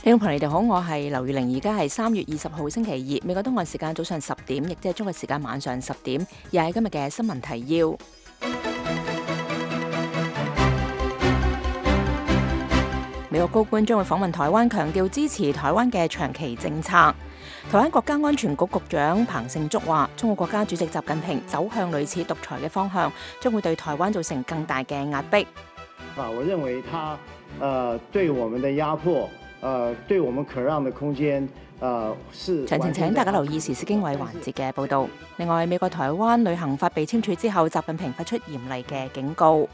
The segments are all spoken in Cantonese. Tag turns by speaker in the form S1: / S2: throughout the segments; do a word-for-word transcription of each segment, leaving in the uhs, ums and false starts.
S1: 聽眾朋友，你哋好，我係劉月玲，而家係三月二十號星期二，美國東岸時間早上十點，亦即係中國時間晚上十點，又係今日嘅新聞提要。美國高官將會訪問台灣，強調支持台灣嘅長期政策。台灣國家安全局局長彭勝竹話，中國國家主席習近平走向類似獨裁嘅方向，將會對台灣造成更大嘅壓迫。
S2: 啊，我認為他，呃，對我們的壓迫。誒，對我們可讓的空間，誒是。
S1: 詳情請大家留意時事經緯環節嘅報導。另外，美國台灣旅行法被簽署之後，習近平發出嚴厲嘅警告。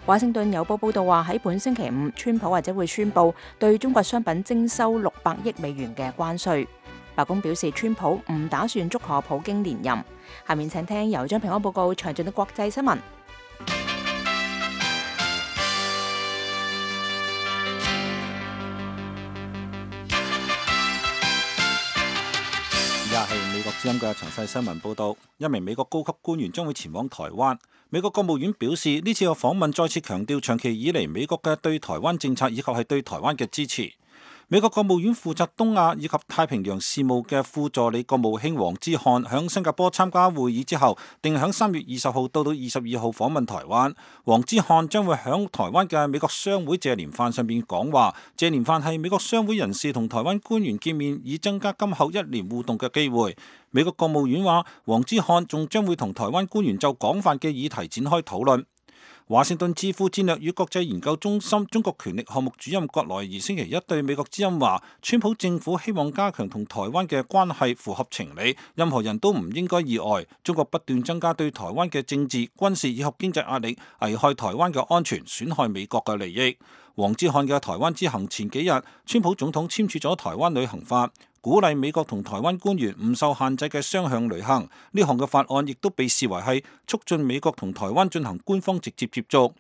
S1: 華盛頓郵報報導話，喺本星期五，川普或者會宣布對中國商品徵收六百億美元嘅關稅。白宮表示，川普唔打算祝賀普京連任。下面請聽由張平安報告詳盡嘅國際新聞。
S3: 係美國之音嘅詳細新聞報道，一名美國高級官員將會前往台灣。美國國務院表示，呢次嘅訪問再次強調長期以嚟美國嘅對台灣政策以及係對台灣嘅支持。美國國務院負責東亞以及太平洋事務嘅副助理國務卿黃之漢響新加坡參加會議之後，定響三月二十號到到二十二號訪問台灣。黃之漢將會響台灣嘅美國商會謝年飯上面講話。謝年飯係美國商會人士同台灣官員見面，以增加今後一年互動嘅機會。美國國務院話，黃之漢仲將會同台灣官員就廣泛嘅議題展開討論。華盛頓智庫戰略與國際研究中心中國權力項目主任葛萊儀星期一對美國之音話，川普政府希望加強同台灣嘅關係符合情理，任何人都唔應該意外。中國不斷增加對台灣嘅政治、軍事以及經濟壓力，危害台灣嘅安全，損害美國嘅利益。黃之漢嘅台灣之行前幾日，川普總統簽署咗台灣旅行法，鼓勵美國同台灣官員唔受限制嘅雙向旅行。呢項嘅法案亦都被視為係促進美國同台灣進行官方直接接觸。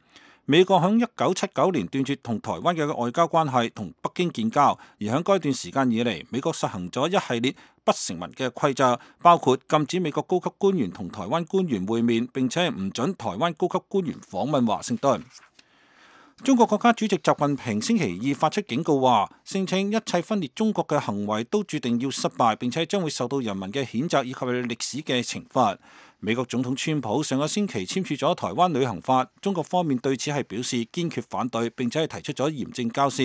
S3: 美國響一九七九年斷絕同台灣嘅外交關係，同北京建交，而響該段時間以嚟，美國實行咗一系列不成文嘅規則，包括禁止美國高級官員同台灣官員會面，並且唔准台灣高級官員訪問華盛頓。中國國家主席習近平星期二發出警告話，聲稱一切分裂中國嘅行為都注定要失敗，並且將會受到人民嘅譴責以及歷史嘅懲罰。美國總統川普上個星期簽署咗台灣旅行法，中國方面對此係表示堅決反對，並且係提出咗嚴正交涉。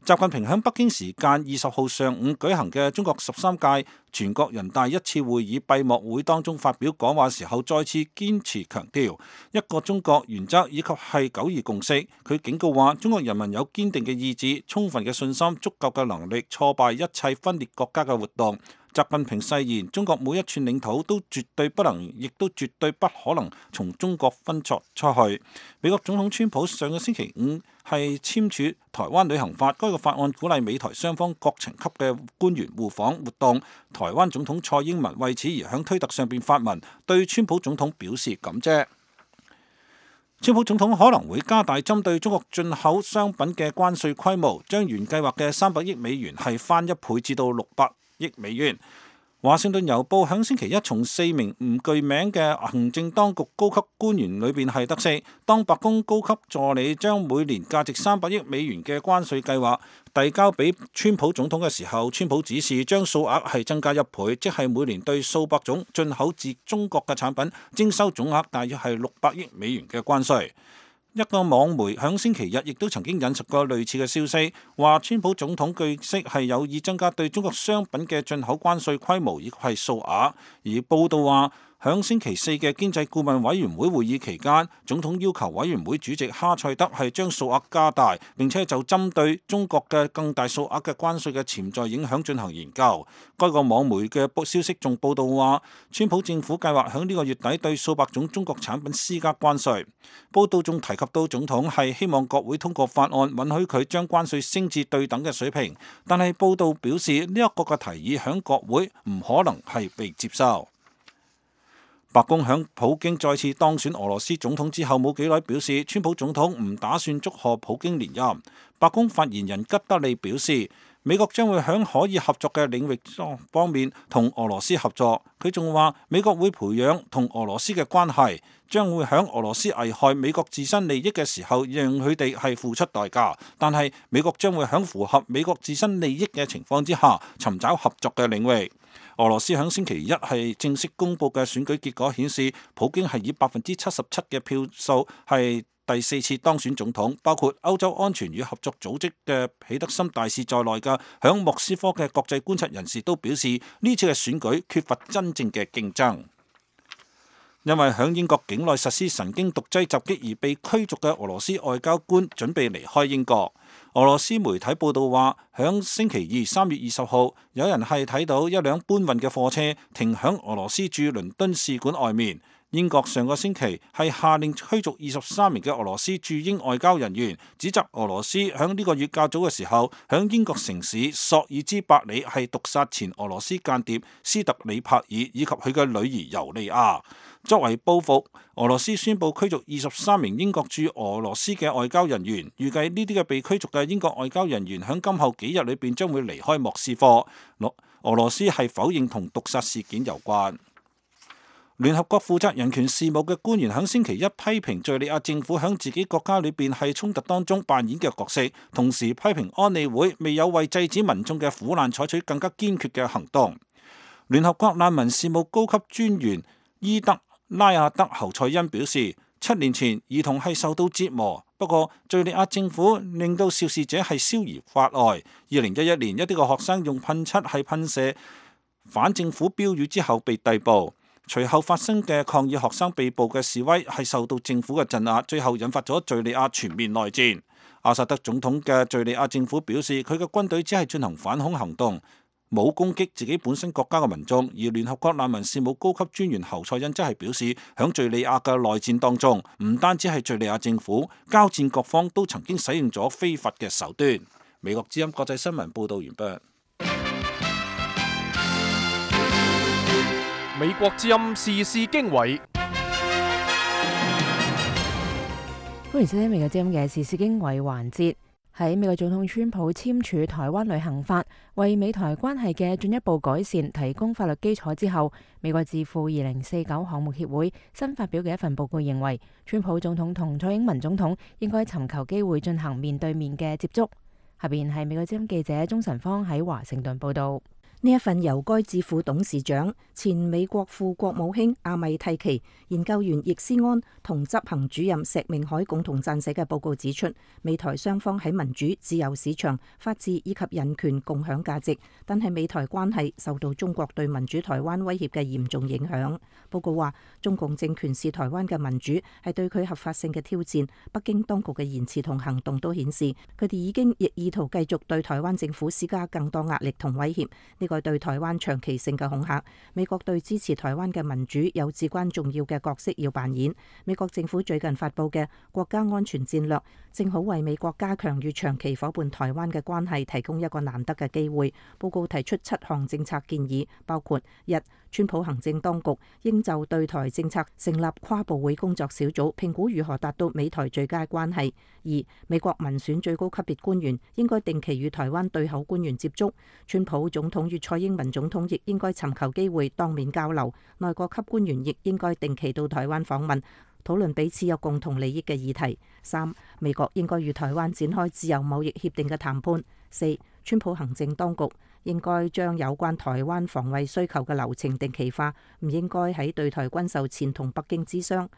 S3: 習近平喺北京時間二十號上午舉行嘅中國十三屆全國人大一次會議閉幕會當中發表講話時候，再次堅持強調一個中國原則以及係九二共識。佢警告話，中國人民有堅定嘅意志、充分嘅信心、足夠嘅能力，挫敗一切分裂國家嘅活動。習近平誓言，中國每一寸領土都絕對不能，亦都絕對不可能從中國分割出去。美國總統川普上個星期五係簽署台灣旅行法，該個法案鼓勵美台雙方各層級嘅官員互訪活動。台灣總統蔡英文為此而響推特上邊發文，對川普總統表示感謝。川普總統可能會加大針對中國進口商品嘅關稅規模，將原計劃嘅三百億美元係翻一倍至到六百億美元。華盛頓郵報響星期一從四名唔具名嘅行政當局高級官員裏邊係得悉，當白宮高級助理將每年價值三百億美元嘅關稅計劃遞交俾川普總統嘅時候，川普指示將數額係增加一倍，即係每年對數百種進口自中國嘅產品徵收總額大約係六百億美元嘅關稅。一個網媒響星期日亦都曾經引述過類似嘅消息，話川普總統據悉係有意增加對中國商品嘅進口關稅規模以及係數額，而報道話，響星期四嘅經濟顧問委員會會議期間，總統要求委員會主席哈塞德係將數額加大，並且就針對中國嘅更大數額嘅關稅嘅潛在影響進行研究。該個網媒嘅消息仲報道話，川普政府計劃響呢個月底對數百種中國產品施加關稅。報道仲提及到總統係希望國會通過法案，允許佢將關稅升至對等嘅水平，但係報道表示呢一個嘅提議響國會唔可能係被接受。白宮響普京再次當選俄羅斯總統之後冇幾耐表示，川普總統唔打算祝賀普京連任。白宮發言人吉德利表示，美國將會喺可以合作嘅領域方面同俄羅斯合作。佢仲話美國會培養同俄羅斯嘅關係，將會喺俄羅斯危害美國自身利益嘅時候，讓佢哋係付出代價。但係美國將會喺符合美國自身利益嘅情況之下，尋找合作嘅領域。俄羅斯喺星期一係正式公佈嘅選舉結果顯示，普京係以百分之七十七嘅票數係第四次當選總統。包括歐洲安全與合作組織嘅彼得森大使在內嘅響莫斯科嘅國際觀察人士都表示，呢次嘅選舉缺乏真正嘅競爭。因為響英國境內實施神經毒劑襲擊而被驅逐嘅俄羅斯外交官準備離開英國。俄羅斯媒體報道話，響星期二三月二十號，有人係睇到一輛搬運嘅貨車停響俄羅斯駐倫敦使館外面。英國上個星期係下令驅逐二十三名嘅俄羅斯駐英外交人員，指責俄羅斯響呢個月較早嘅時候，響英國城市索爾茲伯里係毒殺前俄羅斯間諜斯特里帕爾以及佢嘅女兒尤利亞。作為報復，俄羅斯宣布驅逐二十三名英國駐俄羅斯嘅外交人員。預計呢啲嘅被驅逐嘅英國外交人員響今後幾日裏邊將會離開莫斯科。俄羅斯係否認同毒殺事件有關。聯合國負責人權事務嘅官員喺星期一批評敘利亞政府喺自己國家裏邊係衝突當中扮演嘅角色，同時批評安理會未有為制止民眾嘅苦難採取更加堅決嘅行動。聯合國難民事務高級專員伊德拉亞德侯賽因表示，七年前兒童係受到折磨，不過敘利亞政府令到肇事者係逍遙法外。二零一一年一啲個學生用噴漆係噴射反政府標語之後被逮捕。隨後發生嘅抗議學生被捕嘅示威係受到政府嘅鎮壓，最後引發咗敘利亞全面內戰。阿薩德總統嘅敘利亞政府表示，佢嘅軍隊只係進行反恐行動，冇攻擊自己本身國家嘅民眾。而聯合國難民事務高級專員侯賽因則係表示，響敘利亞嘅內戰當中，唔單止係敘利亞政府，交戰各方都曾經使用咗非法嘅手段。美國之音國際新聞報道完畢。
S4: 美國之音時事經緯，
S1: 歡迎收聽美國之音嘅時事經緯環節。喺美國總統川普簽署台灣旅行法，為美台關係嘅進一步改善提供法律基礎之後，美國智庫二零四九項目協會新發表嘅一份報告認為，川普總統同蔡英文總統應該尋求機會進行面對面嘅接觸。下邊係美國之音記者鍾晨芳喺華盛頓報道。
S5: 呢一份由該智庫董事長、前美國副國務卿阿米蒂奇、研究員易思安同執行主任石明海共同撰寫嘅報告指出，美台雙方喺民主、自由市場、法治以及人權共享價值，但係美台關係受到中國對民主台灣威脅嘅嚴重影響。報告話，中共政權視台灣嘅民主係對佢合法性嘅挑戰，北京當局嘅言辭同行動都顯示，佢哋已經亦意圖繼續對台灣政府施加更多壓力同威脅。呢個對台灣長期性嘅恐嚇，美國對支持台灣嘅民主有至關重要嘅角色要扮演。美國政府最近發布嘅國家安全戰略，正好為美國加強與長期夥伴台灣嘅關係提供一個難得嘅機會。報告提出七項政策建議，包括一、川普行政當局應就對台政策成立跨部會工作小組，評估如何達到美台最佳關係。二、美國民選最高級別官員應該定期與台灣對口官員接觸，川普總統與蔡英文總統亦應該尋求機會當面交流，內閣級官員亦應該定期到台灣訪問，討論彼此有共同利益嘅議題。三、美國應該與台灣展開自由貿易協定嘅談判。四、川普行政當局應該將有關台灣防衛需求嘅流程定期化，唔應該喺對台軍售前同北京諮商。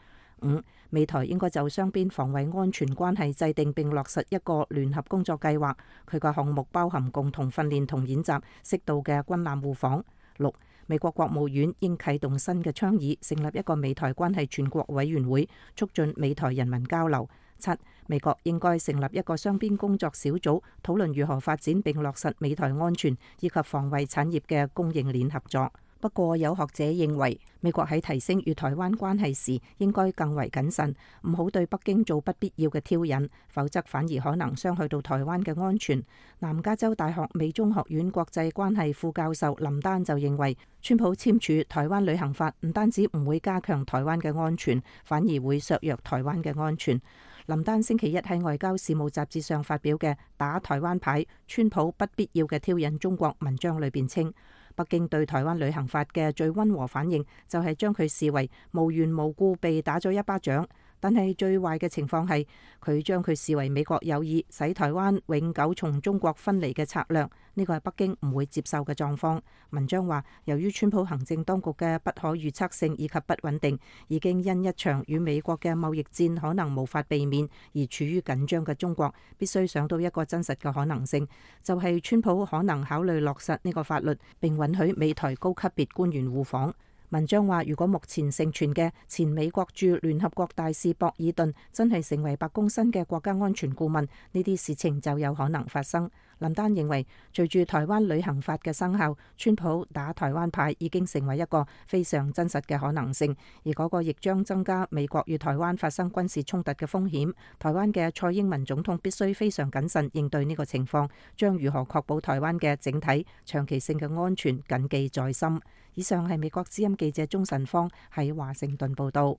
S5: 五、美台應該就雙邊防衛安全關係制定並落實一個聯合工作計劃，佢嘅項目包含共同訓練同演習、適度嘅軍艦互訪。六、美國國務院應啟動新嘅倡議，成立一個美台關係全國委員會，促進美台人民交流。七、美國應該成立一個雙邊工作小組，討論如何發展並落實美台安全以及防衛產業嘅供應鏈合作。不過有學者認為，美國喺提升與台灣關係時應該更為謹慎，唔好對北京做不必要嘅挑釁，否則反而可能傷害到台灣嘅安全。南加州大學美中學院國際關係副教授林丹就認為，川普簽署台灣旅行法唔單止唔會加強台灣嘅安全，反而會削弱台灣嘅安全。林丹星期一喺外交事務雜誌上發表嘅打台灣牌，川普不必要嘅挑釁中國文章裏邊稱，北京對台灣旅行法嘅最溫和反應就係將佢視為無緣無故被打咗一巴掌。但係最壞嘅情況係佢將佢視為美國有意使台灣永久從中國分離嘅策略，呢個係北京唔會接受嘅狀況。文章話，由於川普行政當局嘅不可預測性以及不穩定，已經因一場與美國嘅貿易戰可能無法避免而處於緊張嘅中國，必須想到一個真實嘅可能性，就係川普可能考慮落實呢個法律，並允許美台高級別官員互訪。文章話，如果目前盛傳嘅前美國駐聯合國大使博爾頓真係成為白宮新嘅國家安全顧問，呢啲事情就有可能發生。林丹認為，隨住台灣旅行法嘅生效，川普打台灣牌已經成為一個非常真實嘅可能性，而嗰個亦將增加美國與台灣發生軍事衝突嘅風險。台灣嘅蔡英文總統必須非常謹慎應對呢個情況，將如何確保台灣嘅整體長期性嘅安全謹記在心。以上係美國之音記者鍾晨芳喺華盛頓報道。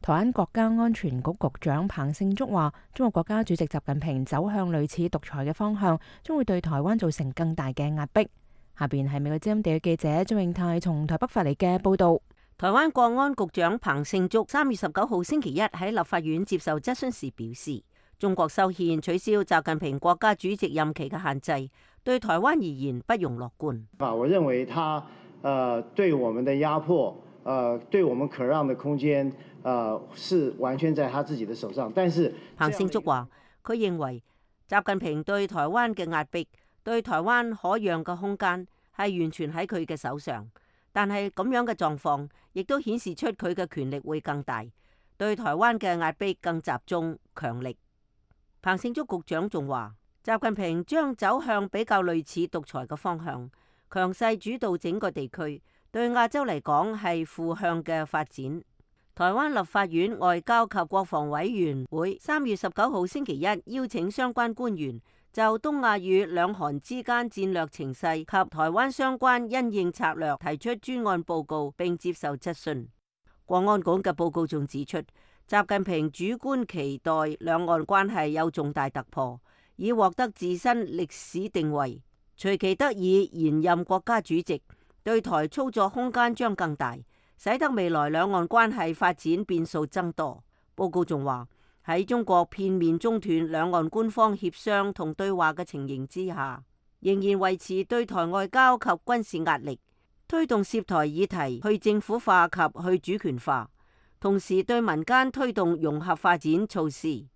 S1: 台灣國家安全局局長彭勝竹話，中國國家主席習近平走向類似獨裁嘅方向，將會對台灣造成更大嘅壓迫。下邊係美國之音地嘅記者張永泰從台北發嚟嘅報道。
S6: 台灣國安局長彭勝竹三月十九號星期一喺立法院接受質詢時表示，中國修憲取消習近平國家主席任期嘅限制，對台灣而言不容樂觀。
S2: 我認為他呃對我們的壓迫，呃對我們可讓的空間，呃是完全在他自己的手上。但是
S6: 彭勝竹話，佢認為習近平對台灣嘅壓迫，對台灣可讓嘅空間係完全喺佢嘅手上。但係咁樣嘅狀況，亦都顯示出佢嘅權力會更大，對台灣嘅壓迫更集中強力。彭勝竹局長仲話，習近平將走向比較類似獨裁嘅方向，強勢主導整個地區，對亞洲嚟講係負向嘅發展。台灣立法院外交及國防委員會三月十九號星期一邀請相關官員就東亞與兩韓之間戰略情勢及台灣相關因應策略提出專案報告，並接受質詢。國安局嘅報告仲指出，習近平主觀期待兩岸關係有重大突破，以獲得自身歷史定位。隨其得以延任國家主席，對台操作空間將更大，使得未來兩岸關係發展變數增多。報告仲話，喺中國片面中斷兩岸官方協商同對話嘅情形之下，仍然維持對台外交及軍事壓力，推動涉台議題去政府化及去主權化，同時對民間推動融合發展措施。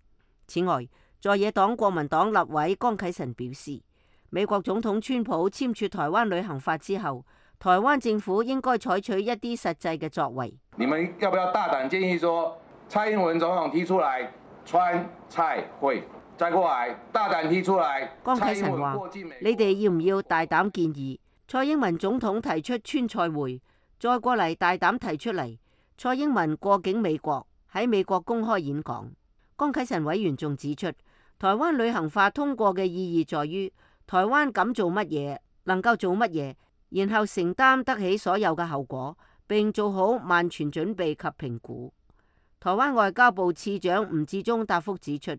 S6: 此外，在野黨國民黨立委江啟臣表示，美國總統川普簽署台灣旅行法之後，台灣政府應該採取一啲實際嘅作為。
S7: 你們要不要大膽建議說，蔡英文總統提出來川蔡會，再過來大膽提出來。
S6: 江啟臣話：你哋要唔要大膽建議蔡英文總統提出川蔡會，再過嚟大膽提出嚟蔡英文過境美國，喺美國公開演講。江啟臣委員仲指出，台灣旅行法通過嘅意義在於台灣敢做乜嘢，能夠做乜嘢，然後承擔得起所有嘅後果，並做好萬全準備及評估。台灣外交部次長吳志忠答覆指出，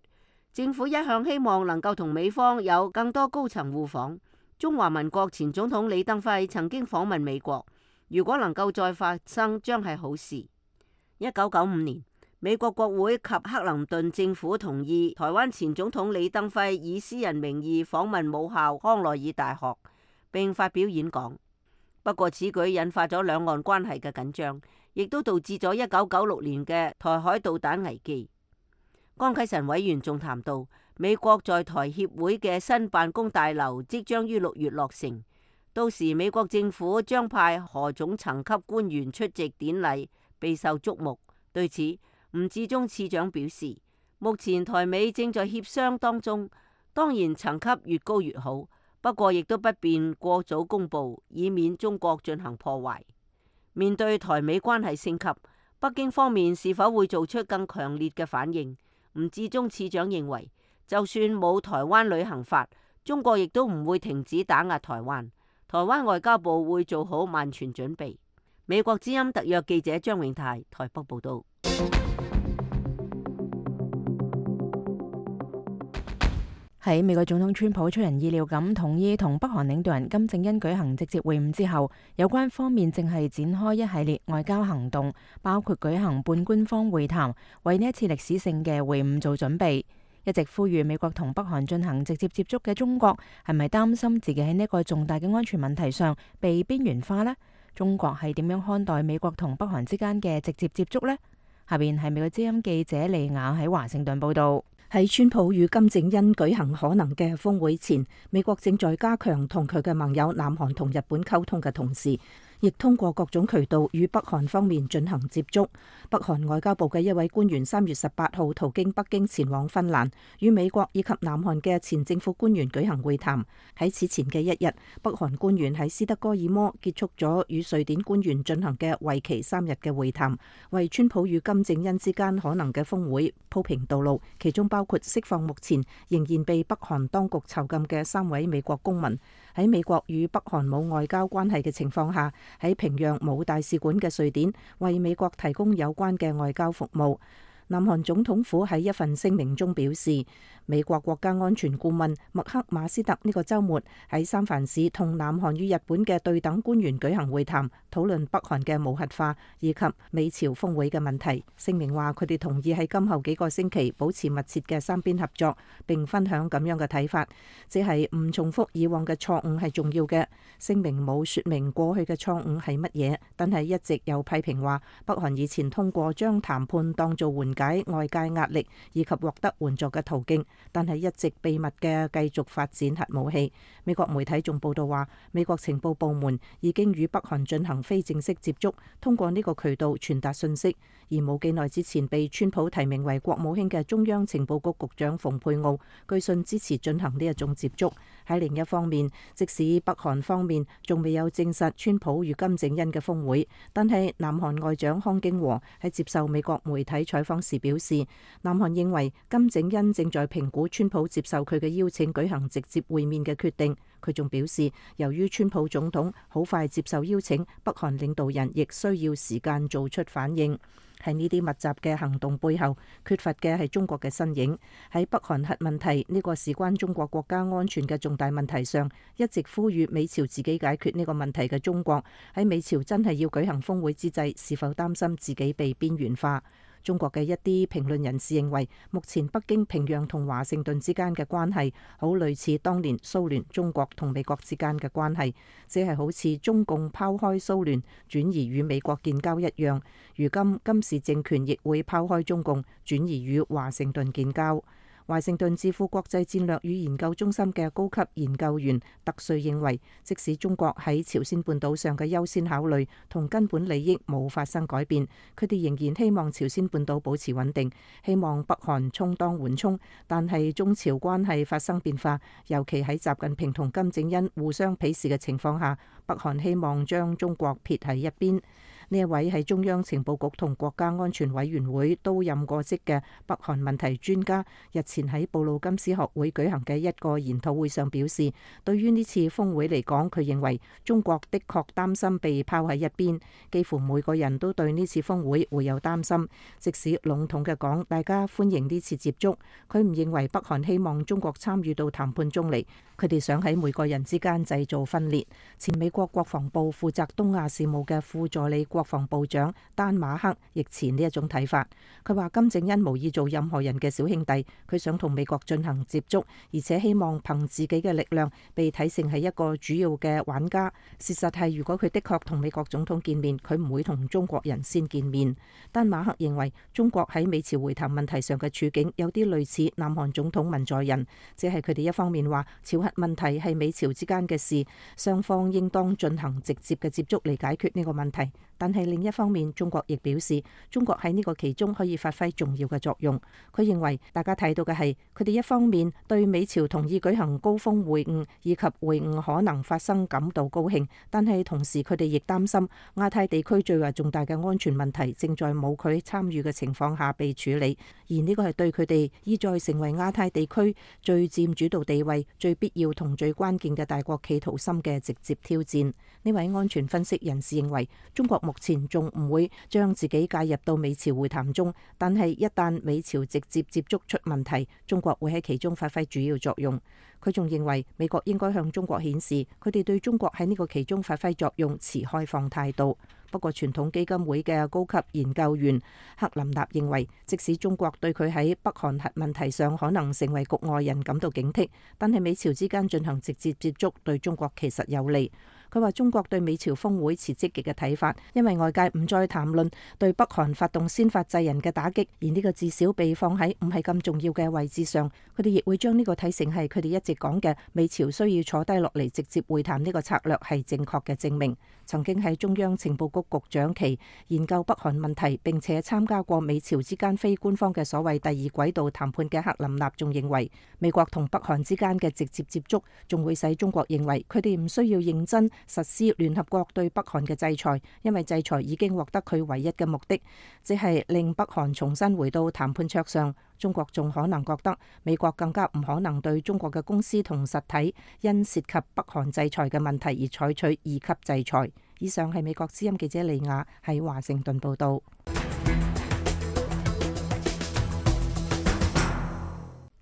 S6: 政府一向希望能夠同美方有更多高層互訪。中華民國前總統李登輝曾經訪問美國，如果能夠再發生，將係好事。一九九五年，美國國會及克林頓政府同意台灣前總統李登輝以私人名義訪問母校康奈爾大學，並發表演講。不過此舉引發咗兩岸關係嘅緊張，亦都導致咗一九九六年嘅台海導彈危機。江啟臣委員仲談到，美國在台協會嘅新辦公大樓即將於六月落成，到時美國政府將派何種層級官員出席典禮，備受矚目。對此，吳志忠次長表示，目前台美正在協商當中，當然層級越高越好，不過亦都不便過早公布，以免中國進行破壞。面對台美關係升級，北京方面是否會做出更強烈嘅反應？吳志忠次長認為，就算冇台灣旅行法，中國亦都唔會停止打壓台灣。台灣外交部會做好萬全準備。美國之音特約記者張永泰台北報道。
S1: 喺美國總統川普出人意料咁同意同北韓領導人金正恩舉行直接會晤之後，有關方面正係展開一系列外交行動，包括舉行半官方會談，為呢一次歷史性嘅會晤做準備。一直呼籲美國同北韓進行直接接觸嘅中國，係咪擔心自己喺呢個重大嘅安全問題上被邊緣化呢？中國係點樣看待美國同北韓之間嘅直接接觸呢？下邊係美國之音記者利雅喺華盛頓報道。
S5: 喺川普與金正恩舉行可能嘅峰會前，美國正在加強同佢嘅盟友南韓同日本溝通嘅同時，亦通過各種渠道與北韓方面進行接觸。北韓外交部嘅一位官員三月十八號途經北京前往芬蘭，與美國以及南韓嘅前政府官員舉行會談。喺此前嘅一日，北韓官員喺斯德哥爾摩結束咗與瑞典官員進行嘅為期三日嘅會談，為川普與金正恩之間可能嘅峰會鋪平道路，其中包括釋放目前仍然被北韓當局囚禁嘅三位美國公民。喺美國與北韓冇外交關係嘅情況下，喺平壤冇大使館嘅瑞典為美國提供有關嘅外交服務。南韓總統府喺一份聲明中表示，美國國家安全顧問麥克馬斯特呢個週末喺三藩市同南韓與日本嘅對等官員舉行會談，討論北韓嘅無核化以及美朝峰會嘅問題。聲明話佢哋同意喺今後幾個星期保持密切嘅三邊合作，並分享咁樣嘅睇法，即係唔重複以往嘅錯誤係重要嘅。聲明冇説明過去嘅錯誤係乜嘢，但係一直有批評話北韓以前通過將談判當做緩解外界壓力以及獲得援助嘅途徑，但係一直秘密嘅繼續發展核武器。美國媒體仲報道話，美國情報部門已經與北韓進行非正式接觸，通過呢個渠道傳達信息。而冇幾耐之前被川普提名為國務卿嘅中央情報局局長蓬佩奧，據信支持進行呢一種接觸。喺另一方面，即使北韓方面仲未有證實川普與金正恩嘅峰會，但係南韓外長康京和喺接受美國媒體採訪時表示，南韓認為金正恩正在評估川普接受佢嘅邀請舉行直接會面嘅決定。佢仲表示，由於川普總統好快接受邀請，北韓領導人亦需要時間做出反應。喺呢啲密集嘅行動背後，缺乏嘅係中國嘅身影。喺北韓核問題呢個事關中國國家安全嘅重大問題上，一直呼籲美朝自己解決呢個問題嘅中國，喺美朝真係要舉行峰會之際，是否擔心自己被邊緣化？中國嘅一啲評論人士認為，目前北京、平壤同華盛頓之間嘅關係，好類似當年蘇聯、中國同美國之間嘅關係，只係好似中共拋開蘇聯，轉移與美國建交一樣。如今金氏政權亦會拋開中共，轉移與華盛頓建交。華盛頓智庫國際戰略與研究中心嘅高級研究員特瑞認為，即使中國喺朝鮮半島上嘅優先考慮同根本利益冇發生改變，佢哋仍然希望朝鮮半島保持穩定，希望北韓充當緩衝。但係中朝關係發生變化，尤其喺習近平同金正恩互相鄙視嘅情況下，北韓希望將中國撇喺一邊。呢一位係中央情報局同國家安全委員會都任過職嘅北韓問題專家，日前喺布魯金斯學會舉行嘅一個研討會上表示，對於呢次峰會嚟講，佢認為中國的確擔心被拋喺一邊，幾乎每個人都對呢次峰會會有擔心。即使籠統嘅講，大家歡迎呢次接觸，佢唔認為北韓希望中國參與到談判中嚟，佢哋想喺每個人之間製造分裂。前美國國防部負責東亞事務嘅副助理國防部長丹馬克亦持呢一種睇法。佢話金正恩無意做任何人嘅小兄弟，佢想同美國進行接觸，而且希望憑自己嘅力量被睇成係一個主要嘅玩家。事實係，如果佢的確同美國總統見面，佢唔會同中國人先見面。丹馬克認為中國喺美朝會談問題上嘅處境有啲類似南韓總統文在寅，即係佢哋一方面話朝核問題係美朝之間嘅事，雙方應當進行直接嘅接觸嚟解決呢個問題。但係另一方面，中國亦表示，中國喺呢個其中可以發揮重要嘅作用。佢認為大家睇到嘅係，佢哋一方面對美朝同意舉行高峰會晤以及會晤可能發生感到高興，但係同時佢哋亦擔心亞太地區最為重大嘅安全問題正在冇佢參與嘅情況下被處理，而呢個係對佢哋意在成為亞太地區最佔主導地位、最必要同最關鍵嘅大國企圖心嘅直接挑戰。呢位安全分析人士認為，中國目前仲唔會將自己介入到美朝會談中，但係一旦美朝直接接觸出問題，中國會喺其中發揮主要作用。佢仲認為美國應該向中國顯示佢哋對中國喺呢個其中發揮作用持開放態度。不過傳統基金會嘅高級研究員克林納認為，即使中國對佢喺北韓核問題上可能成為局外人感到警惕，但係美朝之間進行直接接觸對中國其實有利。佢話中國對美朝峰會持積極嘅睇法，因為外界唔再談論對北韓發動先發制人嘅打擊，而呢個至少被放喺唔係咁重要嘅位置上。佢哋亦會將呢個睇成係佢哋一直講嘅美朝需要坐低落嚟直接會談呢個策略係正確嘅證明。曾經喺中央情報局局長期研究北韓問題並且參加過美朝之間非官方嘅所謂第二軌道談判嘅克林納仲認為，美國同北韓之間嘅直接接觸仲會使中國認為佢哋唔需要認真實施聯合國對北韓嘅制裁，因為制裁已經獲得佢唯一嘅目的，即係令北韓重新回到談判桌上。中國仲可能覺得美國更加唔可能對中國嘅公司同實體因涉及北韓制裁嘅問題而採取二級制裁。以上係美國之音記者李雅喺華盛頓報道。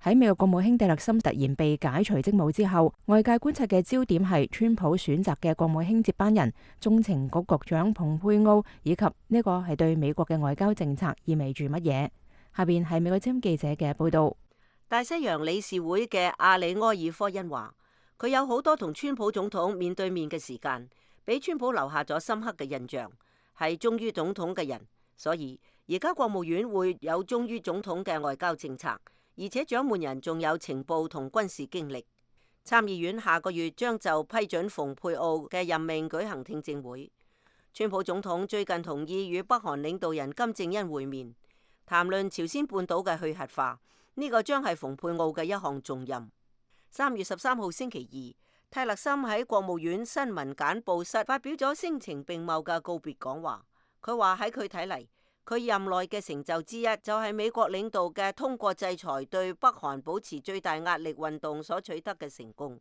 S1: 喺美國國務卿蒂勒森突然被解除職務之後，外界觀察嘅焦點係川普選擇嘅國務卿接班人中情局局長蓬佩奧，以及呢個係對美國嘅外交政策意味住乜嘢。下邊係美國之音記者嘅報道。
S6: 大西洋理事會嘅阿里埃爾科恩話，佢有好多同川普總統面對面嘅時間，俾川普留下咗深刻嘅印象，係忠於總統嘅人，所以而家國務院會有忠於總統嘅外交政策，而且掌門人仲有情報同軍事經歷。參議院下個月將就批准蓬佩奧嘅任命舉行聽證會。川普總統最近同意與北韓領導人金正恩會面，談論朝鮮半島嘅去核化，呢個將係蓬佩奧嘅一項重任。三月十三號星期二，泰勒森喺國務院新聞簡報室發表咗聲情並茂嘅告別講話。佢話喺佢睇嚟，佢任內嘅成就之一就係美國領導嘅通過制裁對北韓保持最大壓力運動所取得嘅成功。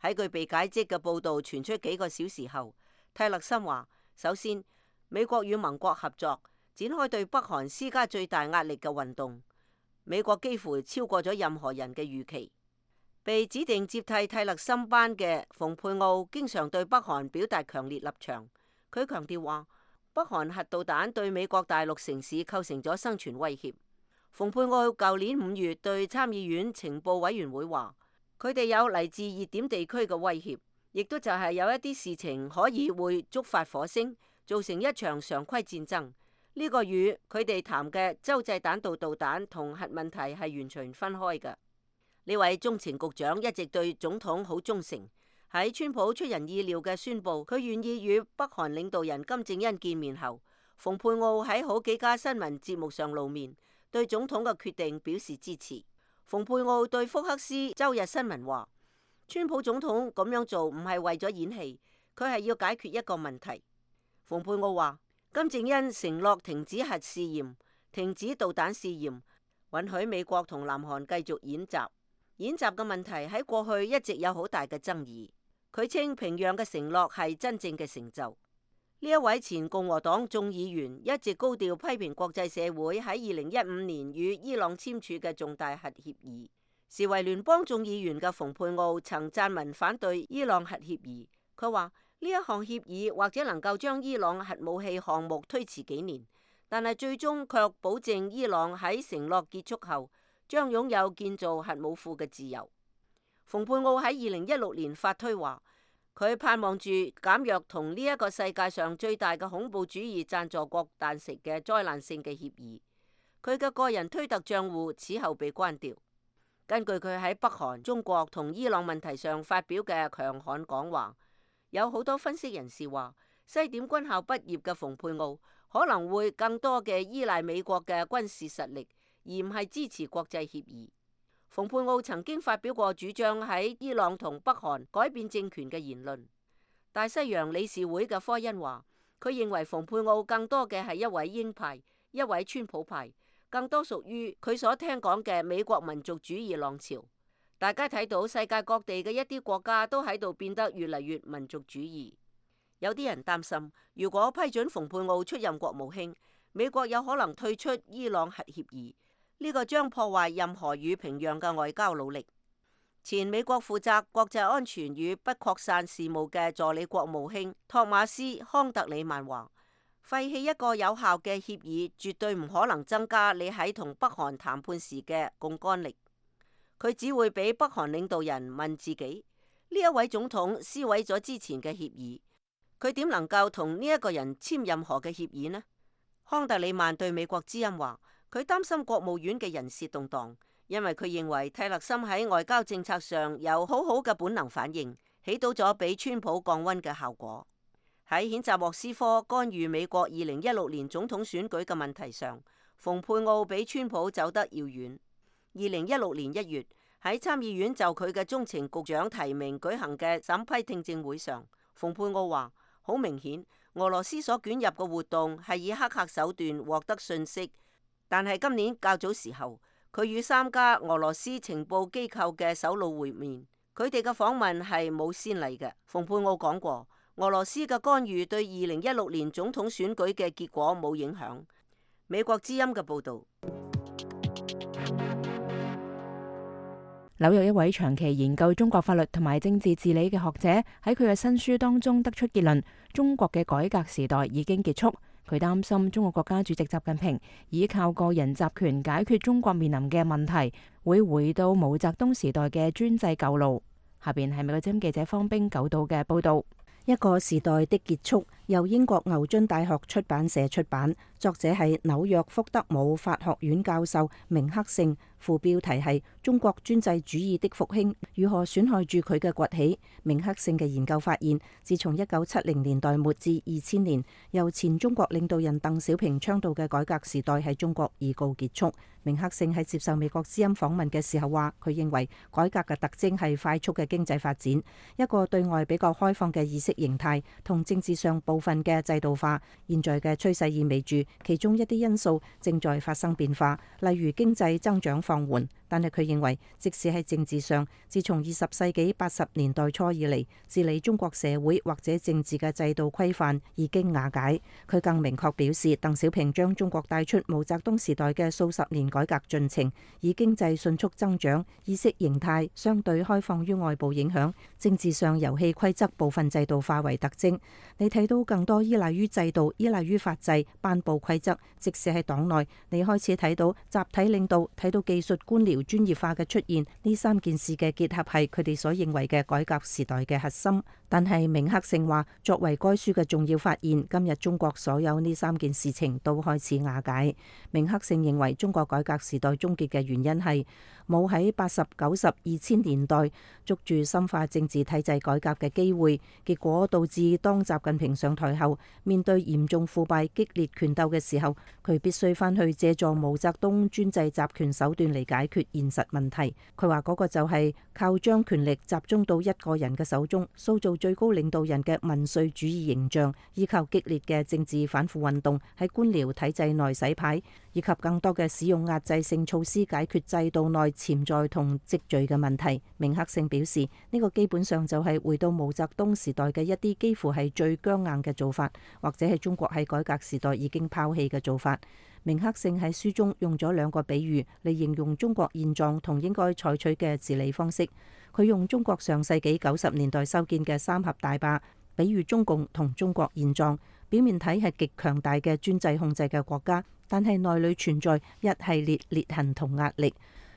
S6: 喺佢被解職嘅報道傳出幾個小時後，泰勒森話：首先，美國與盟國合作，展開對北韓施加最大壓力嘅運動，美國幾乎超過咗任何人嘅預期。被指定接替泰勒森班嘅蓬佩奧經常對北韓表達強烈立場。佢強調話，北韓核導彈對美國大陸城市構成咗生存威脅。蓬佩奧舊年五月對參議院情報委員會話，佢哋有嚟自熱點地區嘅威脅，亦都就係有一啲事情可以會觸發火星，造成一場常規戰爭。呢個與佢哋談嘅洲際彈道導彈同核問題係完全分開嘅。呢位中情局長一直對總統好忠誠。喺川普出人意料嘅宣布佢願意與北韓領導人金正恩見面後，蓬佩奧喺好幾家新聞節目上露面，對總統嘅決定表示支持。蓬佩奧對福克斯周日新聞話，川普總統咁樣做唔係為咗演戲，佢係要解決一個問題。蓬佩奧話，金正恩承諾停止核試驗、停止導彈試驗，允許美國同南韓繼續演習。演習嘅問題喺過去一直有好大嘅爭議。佢稱平壤嘅承諾係真正嘅成就。呢一位前共和黨眾議員一直高調批評國際社會喺二零一五年與伊朗簽署嘅重大核協議。時為聯邦眾議員嘅蓬佩奧曾撰文反對伊朗核協議。佢話呢一項協議或者能夠將伊朗核武器項目推遲幾年，但係最終卻保證伊朗喺承諾結束後將擁有建造核武庫嘅自由。蓬佩奧喺二零一六年發推話，佢盼望住減弱同呢一個世界上最大嘅恐怖主義贊助國達成嘅災難性嘅協議。佢嘅個人推特賬戶此後被關掉。根據佢喺北韓、中國同伊朗問題上發表嘅強悍講話，有好多分析人士話，西點軍校畢業嘅蓬佩奧可能會更多嘅依賴美國嘅軍事實力，而唔係支持國際協議。蓬佩奧曾經發表過主張喺伊朗同北韓改變政權嘅言論。大西洋理事會嘅科恩話，佢認為蓬佩奧更多嘅係一位鷹派，一位川普派，更多屬於佢所聽講嘅美國民族主義浪潮。大家睇到世界各地嘅一啲國家都喺度變得越嚟越民族主義。有啲人擔心，如果批准蓬佩奧出任國務卿，美國有可能退出伊朗核協議，呢個將破壞任何與平壤嘅外交努力。前美國負責國際安全與不擴散事務嘅助理國務卿托馬斯康特里曼話，廢棄一個有效嘅協議絕對唔可能增加你喺同北韓談判時嘅槓桿力，佢只會俾北韓領導人問自己，呢一位總統撕毀咗之前嘅協議，佢點能夠同呢一個人簽任何嘅協議呢？康特里曼對美國之音話，佢擔心國務院嘅人事動盪，因為佢認為蒂勒森喺外交政策上有好好嘅本能反應，起到咗俾川普降溫嘅效果。喺譴責莫斯科干預美國二零一六年總統選舉嘅問題上，蓬佩奧比川普走得遙遠。二零一六年一月，喺參議院就佢嘅中情局長提名舉行嘅審批聽證會上，蓬佩奧話，好明顯，俄羅斯所捲入嘅活動係以黑客手段獲得信息，但係今年較早時候，佢與三家俄羅斯情報機構嘅首腦會面，佢哋嘅訪問係冇先例嘅。蓬佩奧講過，俄羅斯嘅干預對二零一六年總統選舉嘅結果冇影響。美國之音嘅報導。
S1: 紐約一位長期研究中國法律同埋政治治理嘅學者喺佢嘅新書當中得出結論：中國嘅改革時代已經結束。佢擔心中國國家主席習近平依靠個人集權解決中國面臨嘅問題，會回到毛澤東時代嘅專制舊路。下邊係美國之音記者方冰九道嘅報導。
S5: 一個時代的結束，由英國牛津大學出版社出版，作者係紐約福德姆法學院教授明克勝，副標題係中國專制主義的復興如何損害住佢嘅崛起。明克勝嘅研究發現，自從一九七零年代末至二千年，由前中國領導人鄧小平倡導嘅改革時代喺中國已告結束。明克勝喺接受美國之音訪問嘅時候話，佢認為改革嘅特徵係快速嘅經濟發展，一個對外比較開放嘅意識形態同政治上部分嘅制度化。現在嘅趨勢意味住其中一啲因素正在發生變化，例如經濟增長放緩。但係佢認為，即使喺政治上，自從二十世紀八十年代初以嚟，治理中國社會或者政治嘅制度規範已經瓦解。佢更明確表示，鄧小平將中國帶出毛澤東時代嘅數十年改革進程，以經濟迅速增長、意識形態相對開放於外部影響、政治上遊戲規則部分制度化為特徵。你睇到更多依賴於制度、依賴於法制頒布規則，即使喺黨內，你開始睇到集體領導，睇到技術官僚專業化嘅出現，呢三件事嘅結合係佢哋所認為嘅改革時代嘅核心。但係明克勝話，作為該書嘅重要發現，今日中國所有呢三件事情都開始瓦解。明克勝認為，中國改革時代終結嘅原因係冇喺八十、九十、二千年代捉住深化政治體制改革嘅機會，結果導致當習近平上台後，面對嚴重腐敗、激烈權鬥嘅時候，佢必須翻去借助毛澤東專制集權手段嚟解決現實問題。佢話嗰個就係靠將權力集中到一個人嘅手中，塑造最高領導人嘅民粹主義形象，依靠激烈嘅政治反腐運動喺官僚體制內洗牌，以及更多嘅使用壓制性措施解決制度內潛在同積聚嘅問題。明克勝表示，呢個基本上就係回到毛澤東時代嘅一啲幾乎係最僵硬嘅做法，或者係中國喺改革時代已經拋棄嘅做法。明克勝喺書中用咗兩個比喻嚟形容中國現狀同應該採取嘅治理方式。佢用中國上世紀九十年代修建嘅三峽大壩比喻中共同中國現狀，表面睇係極強大嘅專制控制嘅國家，但係內裏存在一系列裂痕同壓力。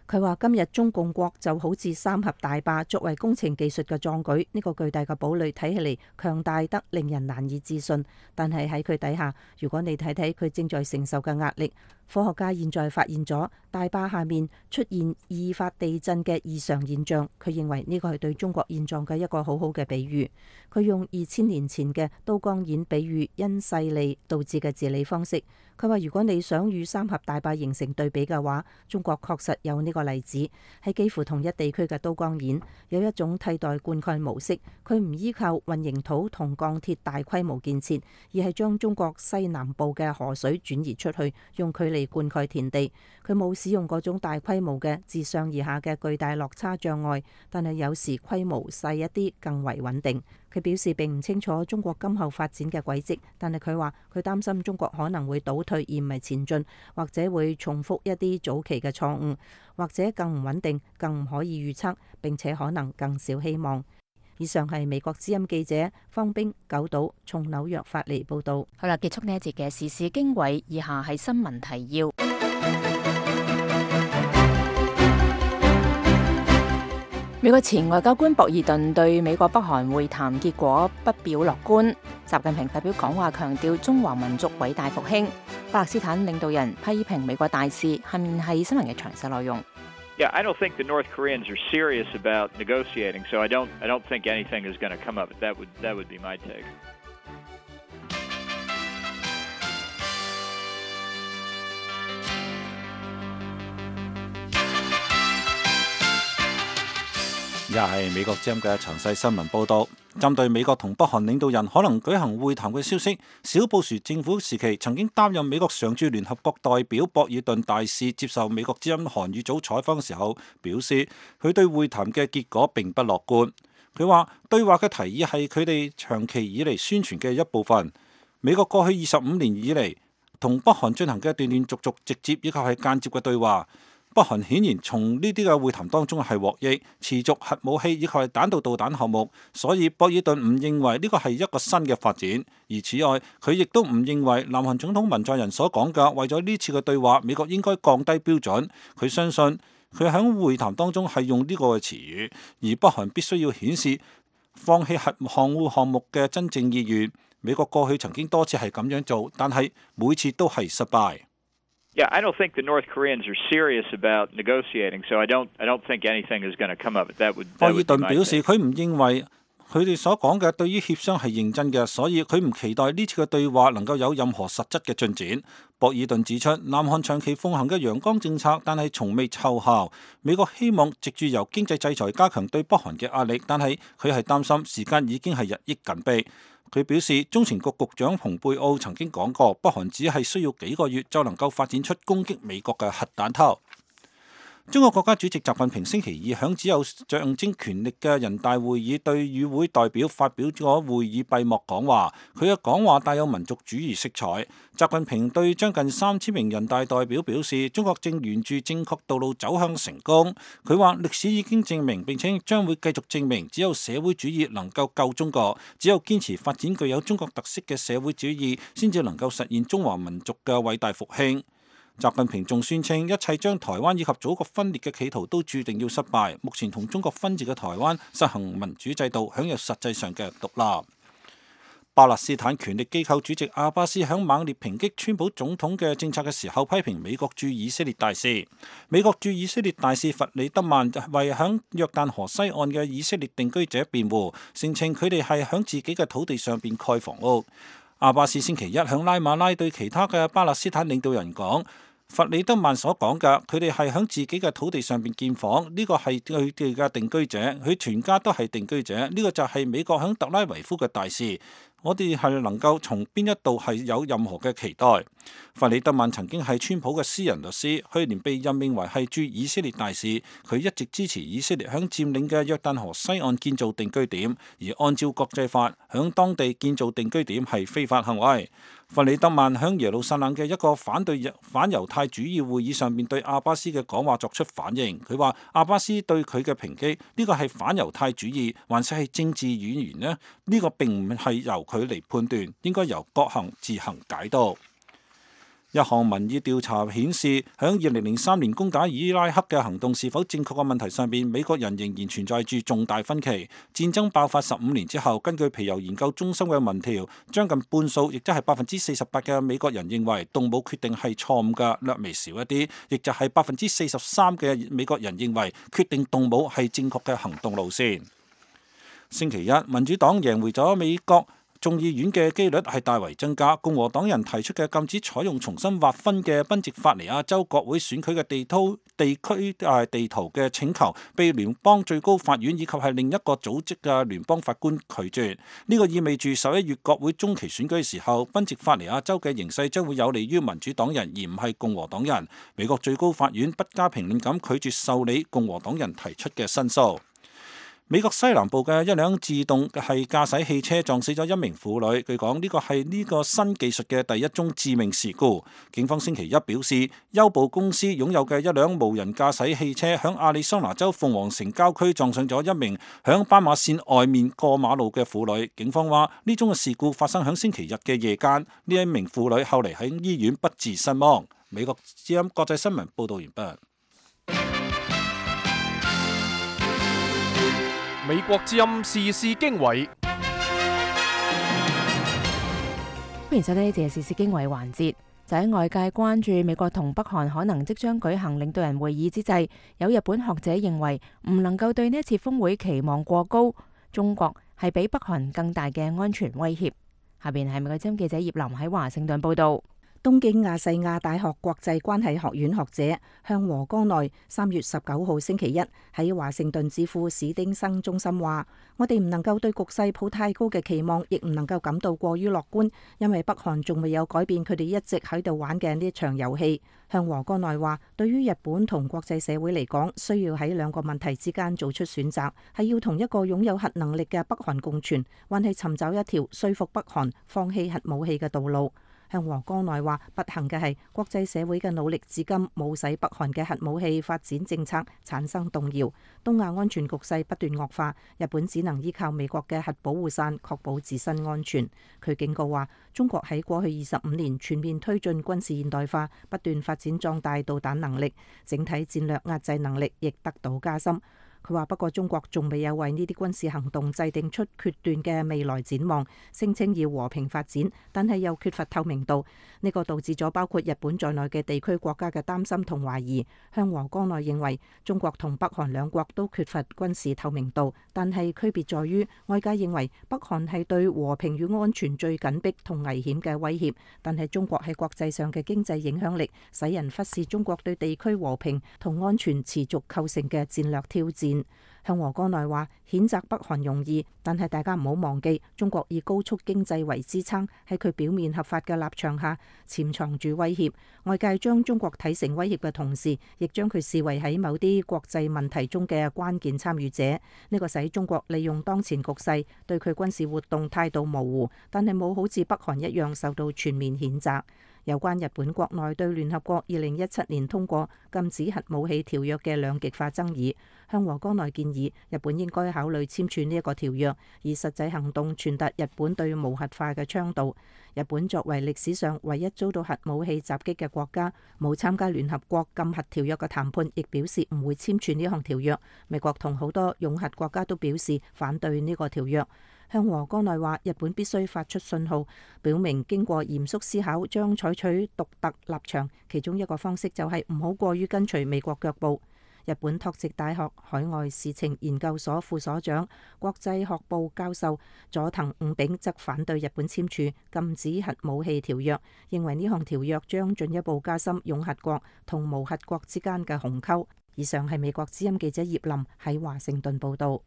S5: 佢話今日中共國就好似三峽大壩作為工程技術嘅壯舉，呢個巨大嘅堡壘睇起嚟強大得令人難以置信，但係喺佢底下，如果你睇睇佢正在承受嘅壓力，科學家現在發現咗大壩下面出現易發地震嘅異常現象。佢認為呢個係對中國現狀嘅一個好好嘅比喻。佢用二千年前嘅都江堰比喻因勢利導致嘅治理方式。佢話如果你想與三峽大壩形成對比嘅話，中國確實有呢個例子。喺幾乎同一地區嘅都江堰有一種替代灌溉模式，佢唔依靠混凝土同鋼鐵大規模建設，而係將中國西南部嘅河水轉移出去，用佢嚟地灌溉田地。佢冇使用嗰種大規模嘅自上而下嘅巨大落差障礙，但係有時規模細一啲更為穩定。佢表示並唔清楚中國今後發展嘅軌跡，但係佢話佢擔心中國可能會倒退而唔係前進，或者會重複一啲早期嘅錯誤，或者更唔穩定、更唔可以預測，並且可能更少希望。以上係美國之音記者方冰九島從紐約發嚟報道。
S1: 好啦，結束呢一節嘅時事經緯，以下係新聞提要。美國前外交官博爾頓對美國北韓會談結果不表樂觀。習近平發表講話，強調中華民族偉大復興。巴勒斯坦領導人批評美國大使。下面係新聞嘅詳細內容。
S8: Yeah, I don't think the North Koreans are serious about negotiating, so I don't, I don't think anything is going to come of it. That would, that would be my take.
S3: 又係美國之音嘅詳細新聞報導。針對美國同北韓領導人可能舉行會談嘅消息，小布殊政府時期曾經擔任美國常駐聯合國代表博爾頓大使接受美國之音韓語組採訪嘅時候表示，佢對會談嘅結果並不樂觀。佢話對話嘅提議係佢哋長期以嚟宣傳嘅一部分。美國過去二十五年以嚟同北韓進行嘅斷斷續續、直接以及係間接嘅對話。北韓顯然從呢啲嘅會談當中係獲益，持續核武器以及係彈道導彈項目，所以博爾頓唔認為呢個係一個新嘅發展。而此外，佢亦都唔認為南韓總統文在寅所講嘅為咗呢次嘅對話，美國應該降低標準。佢相信佢喺會談當中係用呢個嘅詞語，而北韓必須要顯示放棄核航母項目嘅真正意願。美國過去曾經多次係咁樣做，但係每次都係失敗。
S8: Yeah, I don't think the North Koreans are serious about negotiating, so I don't, I don't think anything is going to come of it. That would, that would be my take. 博爾頓表示佢唔認為佢哋所講嘅對於協商係認真嘅，所以佢唔期待呢次嘅對話能夠有任何實質嘅進展。博爾頓指出，南韓長期奉行嘅陽光政策，但係從未奏效。美國希望藉住由經濟制裁加強對北韓嘅壓力，但係佢係擔心時間已經係日益緊迫。佢表示，中情局局長蓬佩奧曾經講過，北韓只係需要幾個月就能夠發展出攻擊美國嘅核彈頭。中國國家主席習近平星期二響只有象徵權力嘅人大會議對與會代表發表咗會議閉幕講話，佢嘅講話帶有民族主義色彩。習近平對將近三千名人大代表表示，中國正沿住正確道路走向成功。佢話歷史已經證明並且將會繼續證明，只有社會主義能夠救中國，只有堅持發展具有中國特色嘅社會主義，先至能夠實現中華民族嘅偉大復興。習近平仲宣稱，一切將台灣以及祖國分裂嘅企圖都注定要失敗。目前同中國分治嘅台灣實行民主制度，享有實際上嘅獨立。巴勒斯坦權力機構主席阿巴斯響猛烈抨擊川普總統嘅政策嘅時候，批評美國駐以色列大使。美國駐以色列大使弗里德曼為響約旦河西岸嘅以色列定居者辯護，聲稱佢哋係響自己嘅土地上邊蓋房屋。阿巴斯星期一響拉馬拉對其他嘅巴勒斯坦領導人講，弗里德曼所講嘅，佢哋係響自己嘅土地上邊建房，呢、這個係佢哋嘅定居者，佢全家都係定居者，呢、這個就係美國響特拉維夫嘅大使。我哋係能夠從邊一度係有任何嘅期待。弗里德曼曾經係川普嘅私人律師，去年被任命為係駐以色列大使。佢一直支持以色列響佔領嘅約旦河西岸建造定居點，而按照國際法，響當地建造定居點係非法行為。弗里德曼響耶路撒冷嘅一個反對反猶太主義會議上面對阿巴斯嘅講話作出反應。佢話阿巴斯對佢嘅抨擊，呢個係反猶太主義，還是係政治語言呢？呢、呢個並唔係由佢嚟判斷，應該由各行自行解讀。一項民意調查顯示，響二零零三年攻打伊拉克嘅行動是否正確嘅問題上邊，美國人仍然存在住重大分歧。戰爭爆發十五年之後，根據皮尤研究中心嘅民調，將近半數，亦即係百分之四十八嘅美國人認為動武決定係錯誤嘅，略微少一啲，亦就係百分之四十三嘅美國人認為決定動武係正確嘅行動路線。星期一，民主黨贏回咗美國
S3: 眾議院嘅機率係大為增加。共和黨人提出嘅禁止採用重新劃分嘅賓夕法尼亞州國會選舉嘅地圖地區誒地圖嘅請求，被聯邦最高法院以及係另一個組織嘅聯邦法官拒絕。呢個意味住十一月國會中期選舉嘅時候，賓夕法尼亞州嘅形勢將會有利於民主黨人，而唔係共和黨人。美國最高法院不加評論咁拒絕受理共和黨人提出嘅申訴。美國西南部嘅一輛自動係駕駛汽車撞死咗一名婦女，據講呢個係呢個新技術嘅第一宗致命事故。警方星期一表示，優步公司擁有嘅一輛無人駕駛汽車響亞利桑那州鳳凰城郊區撞上咗一名響斑馬線外面過馬路嘅婦女。警方話呢宗嘅事故發生響星期日嘅夜間，呢一名婦女後嚟喺醫院不治身亡。美國之音國際新聞報道完畢。
S4: 美國之音時事經緯，
S1: 歡迎收聽呢節時事經緯環節。就喺外界關注美國同北韓可能即將舉行領導人會議之際，有日本學者認為唔能夠對呢一次峰會期望過高。中國係比北韓更大嘅安全威脅。下邊係美國之音記者葉林喺華盛頓報道。
S5: 東京亞細亞大學國際關係學院學者向和江內三月十九號星期一喺華盛頓智庫史丁生中心話：我哋唔能夠對局勢抱太高嘅期望，亦唔能夠感到過於樂觀，因為北韓仲未有改變佢哋一直喺度玩嘅呢場遊戲。向和江內話：對於日本同國際社會嚟講，需要喺兩個問題之間做出選擇，係要同一個擁有核能力嘅北韓共存，還係尋找一條說服北韓放棄核武器嘅道路。向和江內話：不幸嘅係國際社會嘅努力至今冇使北韓嘅核武器發展政策產生動搖，東亞安全局勢不斷惡化，日本只能依靠美國嘅核保護傘確保自身安全。佢警告話：中國喺過去二十五年全面推進軍事現代化，不斷發展壯大導彈能力，整體戰略壓制能力亦得到加深。佢話：不過中國仲未有為呢啲軍事行動制定出決斷嘅未來展望，聲稱要和平發展，但係又缺乏透明度。呢個導致咗包括日本在內嘅地區國家嘅擔心同懷疑。向和江內認為中國同北韓兩國都缺乏軍事透明度，但係區別在於外界認為北韓係對和平與安全最緊迫同危險嘅威脅，但係中國喺國際上嘅經濟影響力使人忽視中國對地區和平同安全持續構成嘅戰略挑戰。向和江內話：譴責北韓容易，但係大家唔好忘記，中國以高速經濟為支撐，喺佢表面合法嘅立場下潛藏住威脅。外界將中國睇成威脅嘅同時，亦將佢視為喺某啲國際問題中嘅關鍵參與者。呢個使中國利用當前局勢對佢軍事活動態度模糊，但係冇好似北韓一樣受到全面譴責。有關日本國內對聯合國二零一七年通過禁止核武器條約嘅兩極化爭議，向和江內建議日本應該考慮簽署呢一個條約，以實際行動傳達日本對無核化嘅倡導。日本作為歷史上唯一遭到核武器襲擊嘅國家，冇參加聯合國禁核條約嘅談判，亦表示唔會簽署呢項條約。美國同好多擁核國家都表示反對呢個條約。向和江內話：日本必須發出信號，表明經過嚴肅思考將採取獨特立場，其中一個方式就係唔好過於跟隨美國腳步。日本拓殖大學海外事情研究所副所長、國際學部教授佐藤五炳則反對日本簽署禁止核武器條約，認為呢項條約將進一步加深擁核國同無核國之間嘅鴻溝。以上係美國之音記者葉林喺華盛頓報道。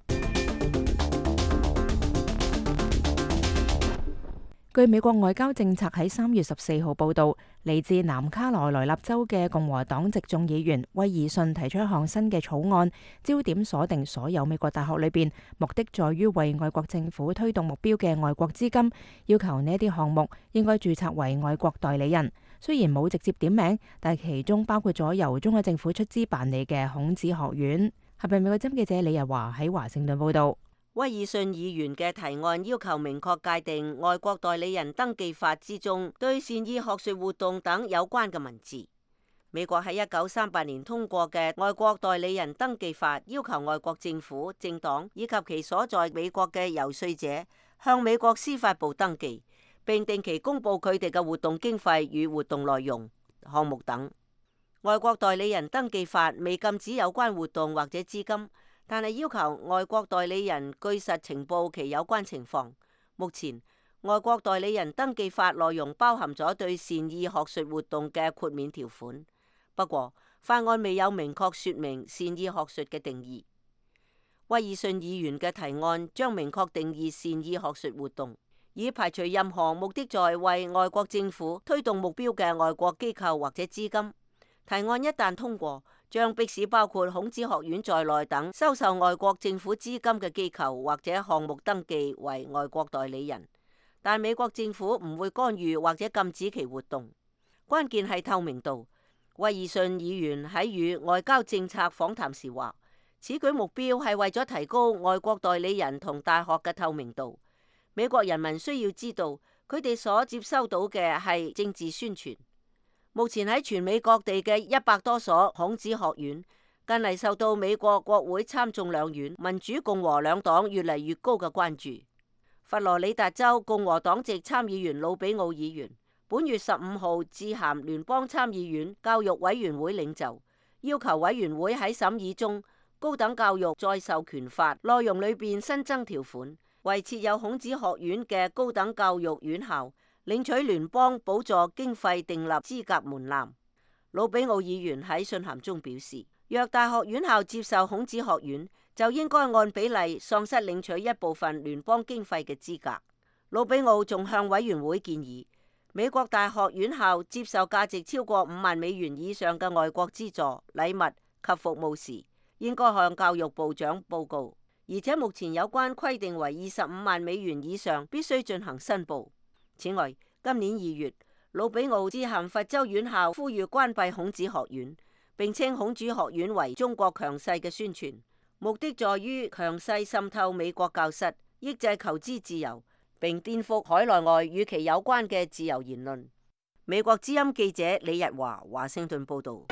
S1: 據美國外交政策喺三月十四號報導，嚟自南卡羅來納州嘅共和黨籍眾議員威爾遜提出一項新嘅草案，焦點鎖定所有美國大學裏邊，目的在於為外國政府推動目標嘅外國資金，要求呢啲項目應該註冊為外國代理人。雖然冇直接點名，但其中包括咗由中國政府出資辦理嘅孔子學院。係咪美國針記者李日華喺華盛頓報導。
S6: 威爾遜議員嘅提案要求明確界定外國代理人登記法之中對善意學術活動等有關嘅文字。美國喺一九三八年通過嘅外國代理人登記法，要求外國政府、政黨以及其所在美國嘅遊說者向美國司法部登記，並定期公布佢哋嘅活動經費與活動內容、項目等。外國代理人登記法未禁止有關活動或者資金，但係要求外國代理人據實呈報其有關情況。目前，外國代理人登記法內容包含咗對善意學術活動嘅豁免條款，不過法案未有明確說明善意學術嘅定義。威爾遜議員嘅提案將明確定義善意學術活動，以排除任何目的在為外國政府推動目標嘅外國機構或者資金。提案一旦通過，將迫使包括孔子學院在內等收受外國政府資金嘅機構或者項目登記為外國代理人，但美國政府唔會干預或者禁止其活動。關鍵係透明度。威爾遜議員喺與外交政策訪談時話，此舉目標係為咗提高外國代理人同大學嘅透明度。美國人民需要知道，佢哋所接收到嘅係政治宣傳。目前喺全美各地嘅一百多所孔子學院，近嚟受到美國國會參眾兩院民主共和兩黨越嚟越高嘅關注。佛羅里達州共和黨籍參議員魯比奧議員本月十五號致函聯邦參議院教育委員會領袖，要求委員會喺審議中高等教育再授權法內容裏邊新增條款，為設有孔子學院嘅高等教育院校領取聯邦補助經費訂立資格門檻。魯比奧議員喺信函中表示，若大學院校接受孔子學院，就應該按比例喪失領取一部分聯邦經費嘅資格。魯比奧仲向委員會建議，美國大學院校接受價值超過五萬美元以上嘅外國資助、禮物及服務時，應該向教育部長報告，而且目前有關規定為二十五萬美元以上必須進行申報。此外，今年二月，魯比奧致函佛州院校，呼籲關閉孔子學院，並稱孔子學院為中國強勢嘅宣傳，目的在於強勢滲透美國教室，抑制求知自由，並顛覆海內外與其有關嘅自由言論。美國之音記者李日華華盛頓報道。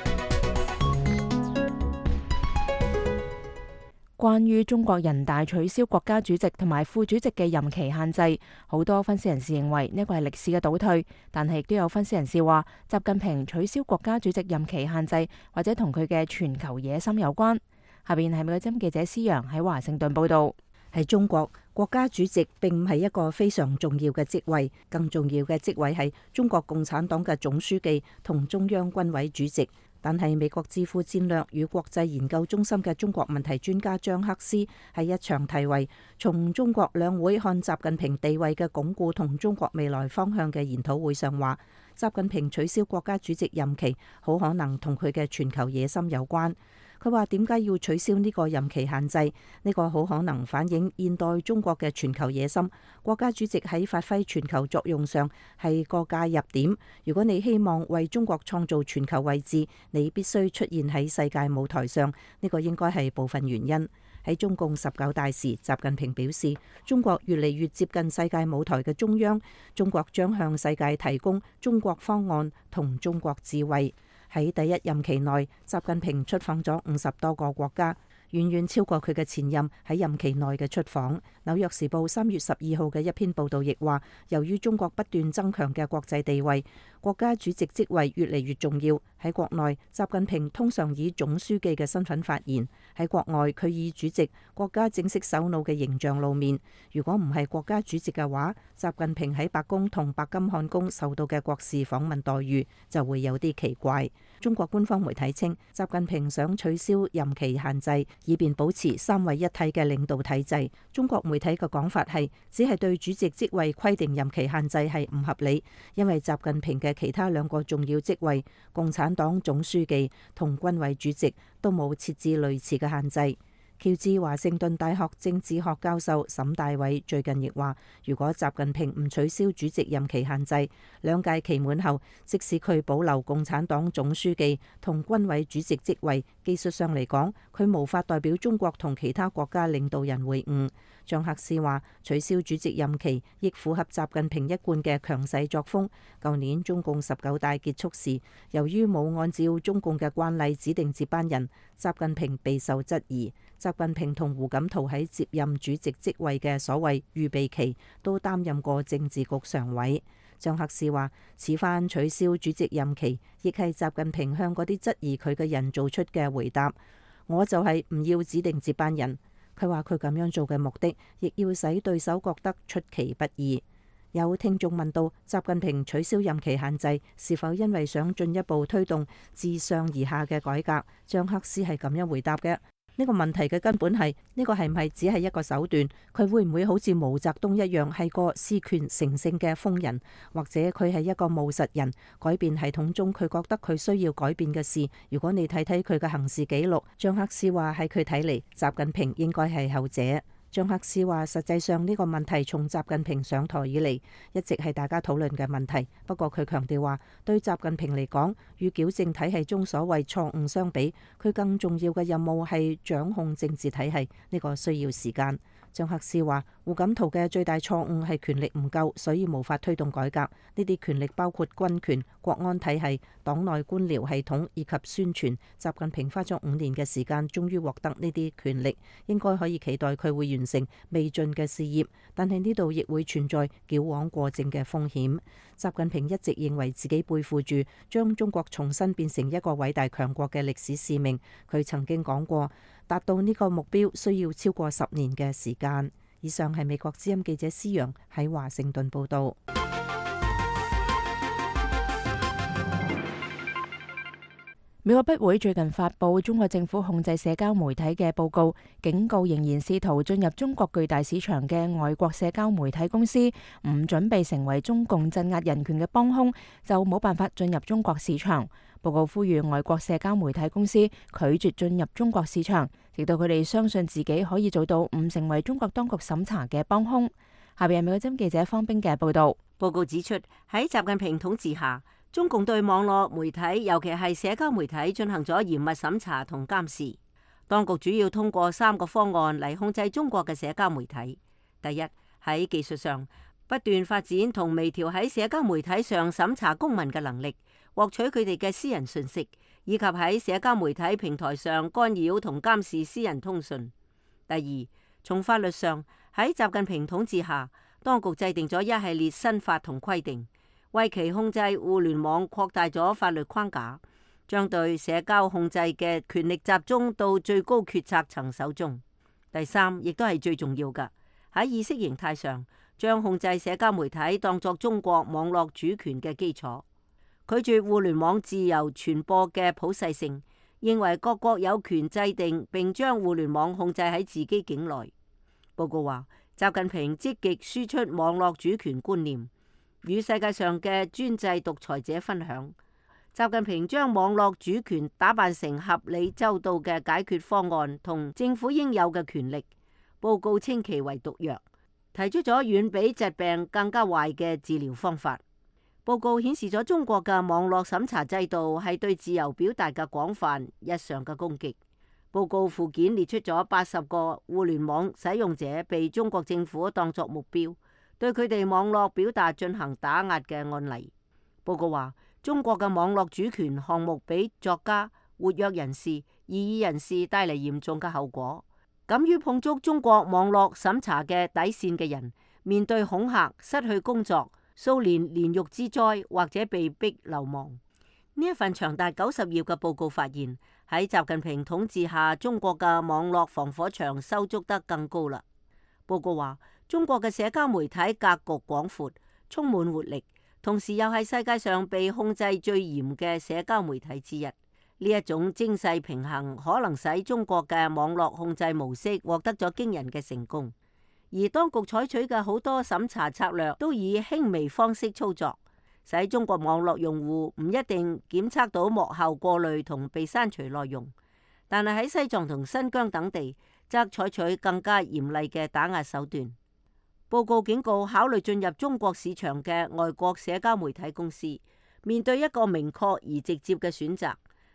S1: 關於中國人大取消國家主席同埋副主席嘅任期限制，好多分析人士認為呢個係歷史嘅倒退，但係亦都有分析人士話，習近平取消國家主席任期限制，或者同佢嘅全球野心有關。下邊係美國之音記者施陽喺華盛頓報道。
S5: 喺中國，國家主席並唔係一個非常重要嘅職位，更重要嘅職位係中國共產黨嘅總書記同中央軍委主席。但係美國智庫戰略與國際研究中心嘅中國問題專家張克斯喺一場題為《從中國兩會看習近平地位嘅鞏固同中國未來方向》嘅研討會上話，習近平取消國家主席任期，好可能同佢嘅全球野心有關。佢話點解要取消呢個任期限制？呢個好可能反映現代中國嘅全球野心。國家主席喺發揮全球作用上係個介入點。如果你希望為中國創造全球位置，你必須出現喺世界舞台上。呢個應該係部分原因。喺中共十九大時，習近平表示，中國越嚟越接近世界舞台嘅中央，中國將向世界提供中國方案同中國智慧。喺第一任期內，習近平出訪咗五十多個國家，遠遠超過佢嘅前任喺任期內嘅出訪。紐約時報三月十二號嘅一篇報導亦話，由於中國不斷增強嘅國際地位，國家主席職位越嚟越重要。喺國內，習近平通常以總書記嘅身份發言；喺國外，佢以主席、國家正式首腦嘅形象露面。如果唔係國家主席嘅話，習近平喺白宮同白金漢宮受到嘅國事訪問待遇就會有啲奇怪。中國官方媒體稱，習近平想取消任期限制，以便保持三位一體嘅領導體制。中國媒體嘅講法係，只係對主席職位規定任期限制係唔合理，因為習近平嘅其他兩個重要職位，共產黨總書記同軍委主席都冇設置類似嘅限制。喬治華盛頓大學政治學教授沈大偉最近亦話，如果習近平唔取消主席任期限制，兩屆期滿後，即使佢保留共產黨總書記同軍委主席職位，技術上嚟講，佢無法代表中國同其他國家領導人會晤。張克斯話，取消主席任期亦符合習近平一貫嘅強勢作風。舊年中共十九大結束時，由於冇按照中共嘅慣例指定接班人，習近平備受質疑。習近平同胡錦濤喺接任主席職位嘅所謂預備期，都擔任過政治局常委。張克斯話，此番取消主席任期，亦係習近平向嗰啲質疑佢嘅人做出嘅回答。我就係唔要指定接班人。佢話佢咁樣做嘅目的，亦要使對手覺得出其不意。有聽眾問到，習近平取消任期限制是否因為想進一步推動自上而下嘅改革？張克斯係咁樣回答嘅。呢個問題嘅根本係呢個係唔係只係一個手段？佢會唔會好似毛澤東一樣係個事權成性嘅瘋人，或者佢係一個務實人？改變系統中佢覺得佢需要改變嘅事，如果你睇睇佢嘅行事記錄，張克斯話喺佢睇嚟，習近平應該係後者。張克斯話：實際上呢個問題從習近平上台以嚟，一直係大家討論嘅問題。不過佢強調話，對習近平嚟講，與矯正體系中所謂錯誤相比，佢更重要嘅任務係掌控政治體系，呢個需要時間。張克斯話：胡錦濤嘅最大錯誤係權力唔夠，所以無法推動改革。呢啲權力包括軍權、國安體系、黨內官僚系統以及宣傳。習近平花咗五年嘅時間，終於獲得呢啲權力，應該可以期待佢會完成未盡嘅事業。但係呢度亦會存在矯枉過正嘅風險。習近平一直認為自己背負住將中國重新變成一個偉大強國嘅歷史使命。佢曾經講過，達到呢個目標需要超過十年嘅時間。以上係美國之音記者施陽喺華盛頓報道。
S1: 美國筆會最近發布中國政府控制社交媒體嘅報告，警告仍然試圖進入中國巨大市場嘅外國社交媒體公司，唔準備成為中共鎮壓人權嘅幫兇，就冇辦法進入中國市場。報告呼籲外國社交媒體公司拒絕進入中國市場，直到佢哋相信自己可以做到唔成為中國當局審查嘅幫兇。下邊係美國之音記者方冰嘅報道。
S6: 報告指出，喺習近平統治下，中共對網絡媒體，尤其係社交媒體進行咗嚴密審查同監視。當局主要通過三個方案嚟控制中國嘅社交媒體。第一，喺技術上不斷發展同微調喺社交媒體上審查公民嘅能力，獲取佢哋嘅私人信息，以及喺社交媒體平台上干擾同監視私人通訊。第二，從法律上喺習近平統治下，當局制定咗一系列新法同規定，為其控制互聯網擴大咗法律框架，將對社交控制嘅權力集中到最高決策層手中。第三，亦都係最重要嘅，喺意識形態上，將控制社交媒體當作中國網絡主權嘅基礎，拒絕互聯網自由傳播嘅普世性，認為各國有權制定並將互聯網控制喺自己境內。報告話，習近平積極輸出網絡主權觀念，與世界上嘅專制獨裁者分享。習近平將網絡主權打扮成合理周到嘅解決方案同政府應有嘅權力。報告稱其為毒藥，提出咗遠比疾病更加壞嘅治療方法。報告顯示咗中國嘅網絡審查制度係對自由表達嘅廣泛日常嘅攻擊。報告附件列出咗八十個互聯網使用者被中國政府當作目標，對佢哋網絡表達進行打壓嘅案例。報告話，中國嘅網絡主權項目俾作家、活躍人士、異議人士帶嚟嚴重嘅後果。敢於碰觸中國網絡審查嘅底線嘅人，面對恐嚇、失去工作、數年煉獄之災，或者被逼流亡。呢一份長達九十頁嘅報告發現，喺習近平統治下，中國嘅網絡防火牆修築得更高啦。報告話，中國嘅社交媒體格局廣闊，充滿活力，同時又係世界上被控制最嚴嘅社交媒體之一。呢一種精細平衡可能使中國嘅網絡控制模式獲得咗驚人嘅成功，而當局採取嘅好多審查策略都以輕微方式操作，使中國網絡用戶唔一定檢測到幕後過濾同被刪除內容。但係喺西藏同新疆等地，則採取更加嚴厲嘅打壓手段。報告警告，考慮進入中國市場嘅外國社交媒體公司，面對一個明確而直接嘅選擇。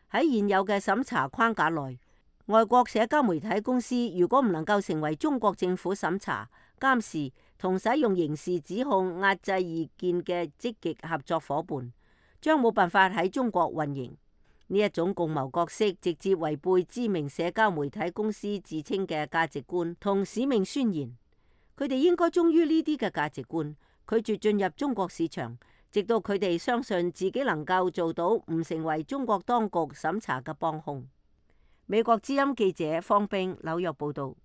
S6: 喺現有嘅審查框架內，外國社交媒體公司如果唔能夠成為中國政府審查、監視同使用刑事指控壓制意見嘅積極合作夥伴，將冇辦法喺中國運營。呢一種共謀角色直接違背知名社交媒體公司自稱嘅價值觀同使命宣言。佢哋應該忠於呢啲嘅價值觀，拒絕進入中國市場，直到佢哋相信自己能夠做到唔成為中國當局審查嘅幫兇。美國之音記者方冰紐約報道。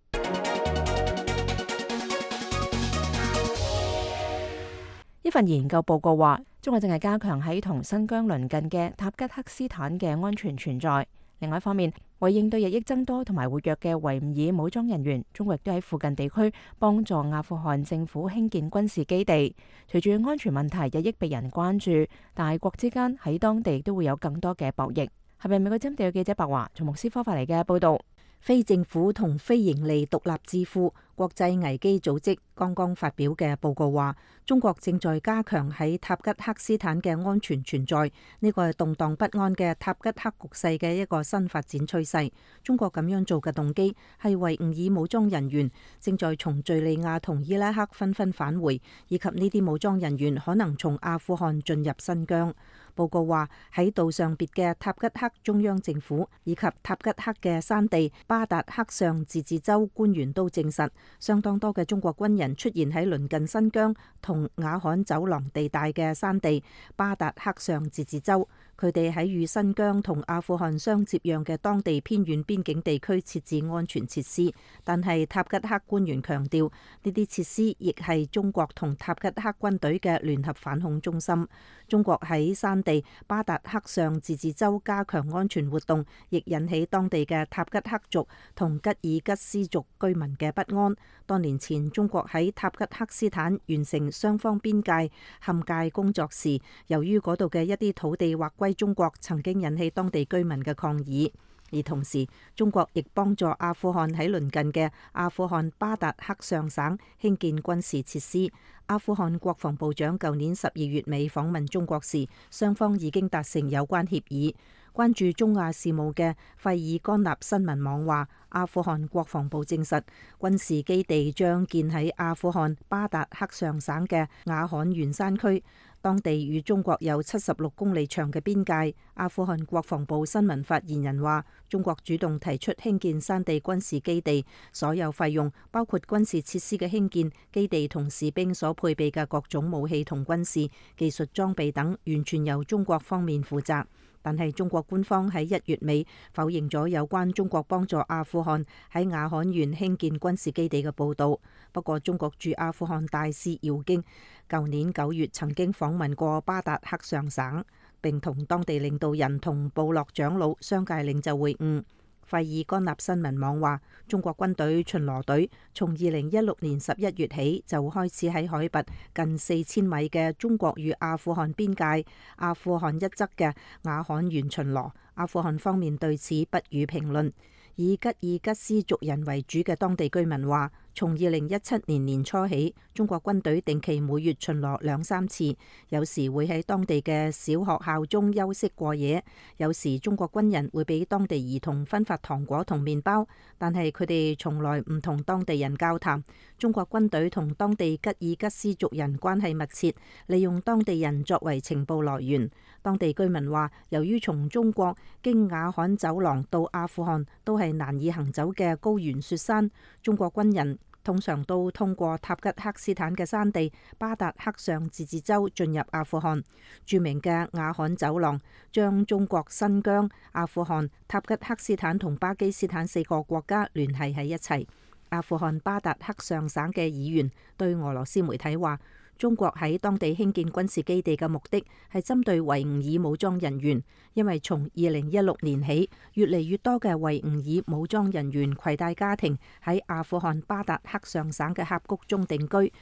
S1: 一份研究報告話，中國正係加強喺同新疆鄰近嘅塔吉克斯坦嘅安全存在。另外一方面，為應對日益增多同埋活躍嘅維吾爾武裝人員，中國亦都喺附近地區幫助阿富汗政府興建軍事基地。隨住安全問題日益被人關注，大國之間喺當地都會有更多嘅博弈。係咪美國針對嘅記者白華從莫斯科發嚟嘅報導？
S5: 非政府同非營利獨立智庫國際危機組織剛剛發表嘅報告話，中國正在加強喺塔吉克斯坦嘅安全存在，呢個係動盪不安嘅塔吉克局勢嘅一個新發展趨勢。中國咁樣做嘅動機係維吾爾武裝人員正在從敘利亞同伊拉克紛紛返回，以及呢啲武裝人員可能從阿富汗進入新疆。報告話，喺道上別嘅塔吉克中央政府以及塔吉克嘅山地巴達克尚自治州官員都證實，相當多嘅中國軍人出現喺鄰近新疆同雅罕走廊地帶嘅山地巴達克尚自治州。佢哋喺與新疆同阿富汗相接壤嘅當地偏遠邊境地區設置安全設施，但係塔吉克官員強調，呢啲設施亦係中國同塔吉克軍隊嘅聯合反恐中心。中國喺山地巴達克尚自治州加強安全活動，亦引起當地嘅塔吉克族同吉爾吉斯族居民嘅不安。多年前，中國喺塔吉克斯坦完成雙方邊界勘界工作時，由於嗰度嘅一啲土地劃歸中國，曾經引起當地居民嘅抗議。而同時，中國亦幫助阿富汗喺鄰近嘅阿富汗巴達克尚省興建軍事設施。阿富汗國防部長舊年十二月尾訪問中國時，雙方已經達成有關協議。關注中亞事務嘅費爾干納新聞網話，阿富汗國防部證實，軍事基地將建喺阿富汗巴達克尚省嘅雅罕原山區，當地與中國有七十六公里長嘅邊界。阿富汗國防部新聞發言人話，中國主動提出興建山地軍事基地，所有費用包括軍事設施嘅興建、基地同士兵所配備嘅各種武器同軍事技術裝備等，完全由中國方面負責。但係中國官方喺一月尾否認咗有關中國幫助阿富汗喺雅罕縣興建軍事基地嘅報導。不過，中國駐阿富汗大使姚京舊年九月曾經訪問過巴達克尚省，並同當地領導人同部落長老、商界領袖會晤。費爾干納新聞網話，中國軍隊巡邏隊從二零一六年十一月起就開始喺海拔近四千米嘅中國與阿富汗邊界阿富汗一側嘅雅罕縣巡邏。阿富汗方面對此不予評論。以吉爾吉斯族人為主嘅當地居民話，從二零一七年年初起，中國軍隊定期每月巡邏兩三次，有時會喺當地嘅小學校中休息過夜，有時中國軍人會俾當地兒童分發糖果同麵包，但係佢哋從來唔同當地人交談。中國軍隊同當地吉爾吉斯族人關係密切，利用當地人作為情報來源。當地居民話，由於從中國經雅罕走廊到阿富汗都係難以行走嘅高原雪山，中國軍人通常都通過塔吉克斯坦嘅山地巴達克尚自治州進入阿富汗。著名嘅雅罕走廊將中國新疆、阿富汗、塔吉克斯坦同巴基斯坦四個國家聯繫喺一齊。阿富汗巴達克尚省嘅議員對俄羅斯媒體話，中國喺當地興建軍事基地嘅目的係針對維吾爾武裝人員，因為從二零一六年起，越嚟越多嘅維吾爾武裝人員攜帶家庭喺阿富汗巴達克尚省嘅峽谷中定居，佢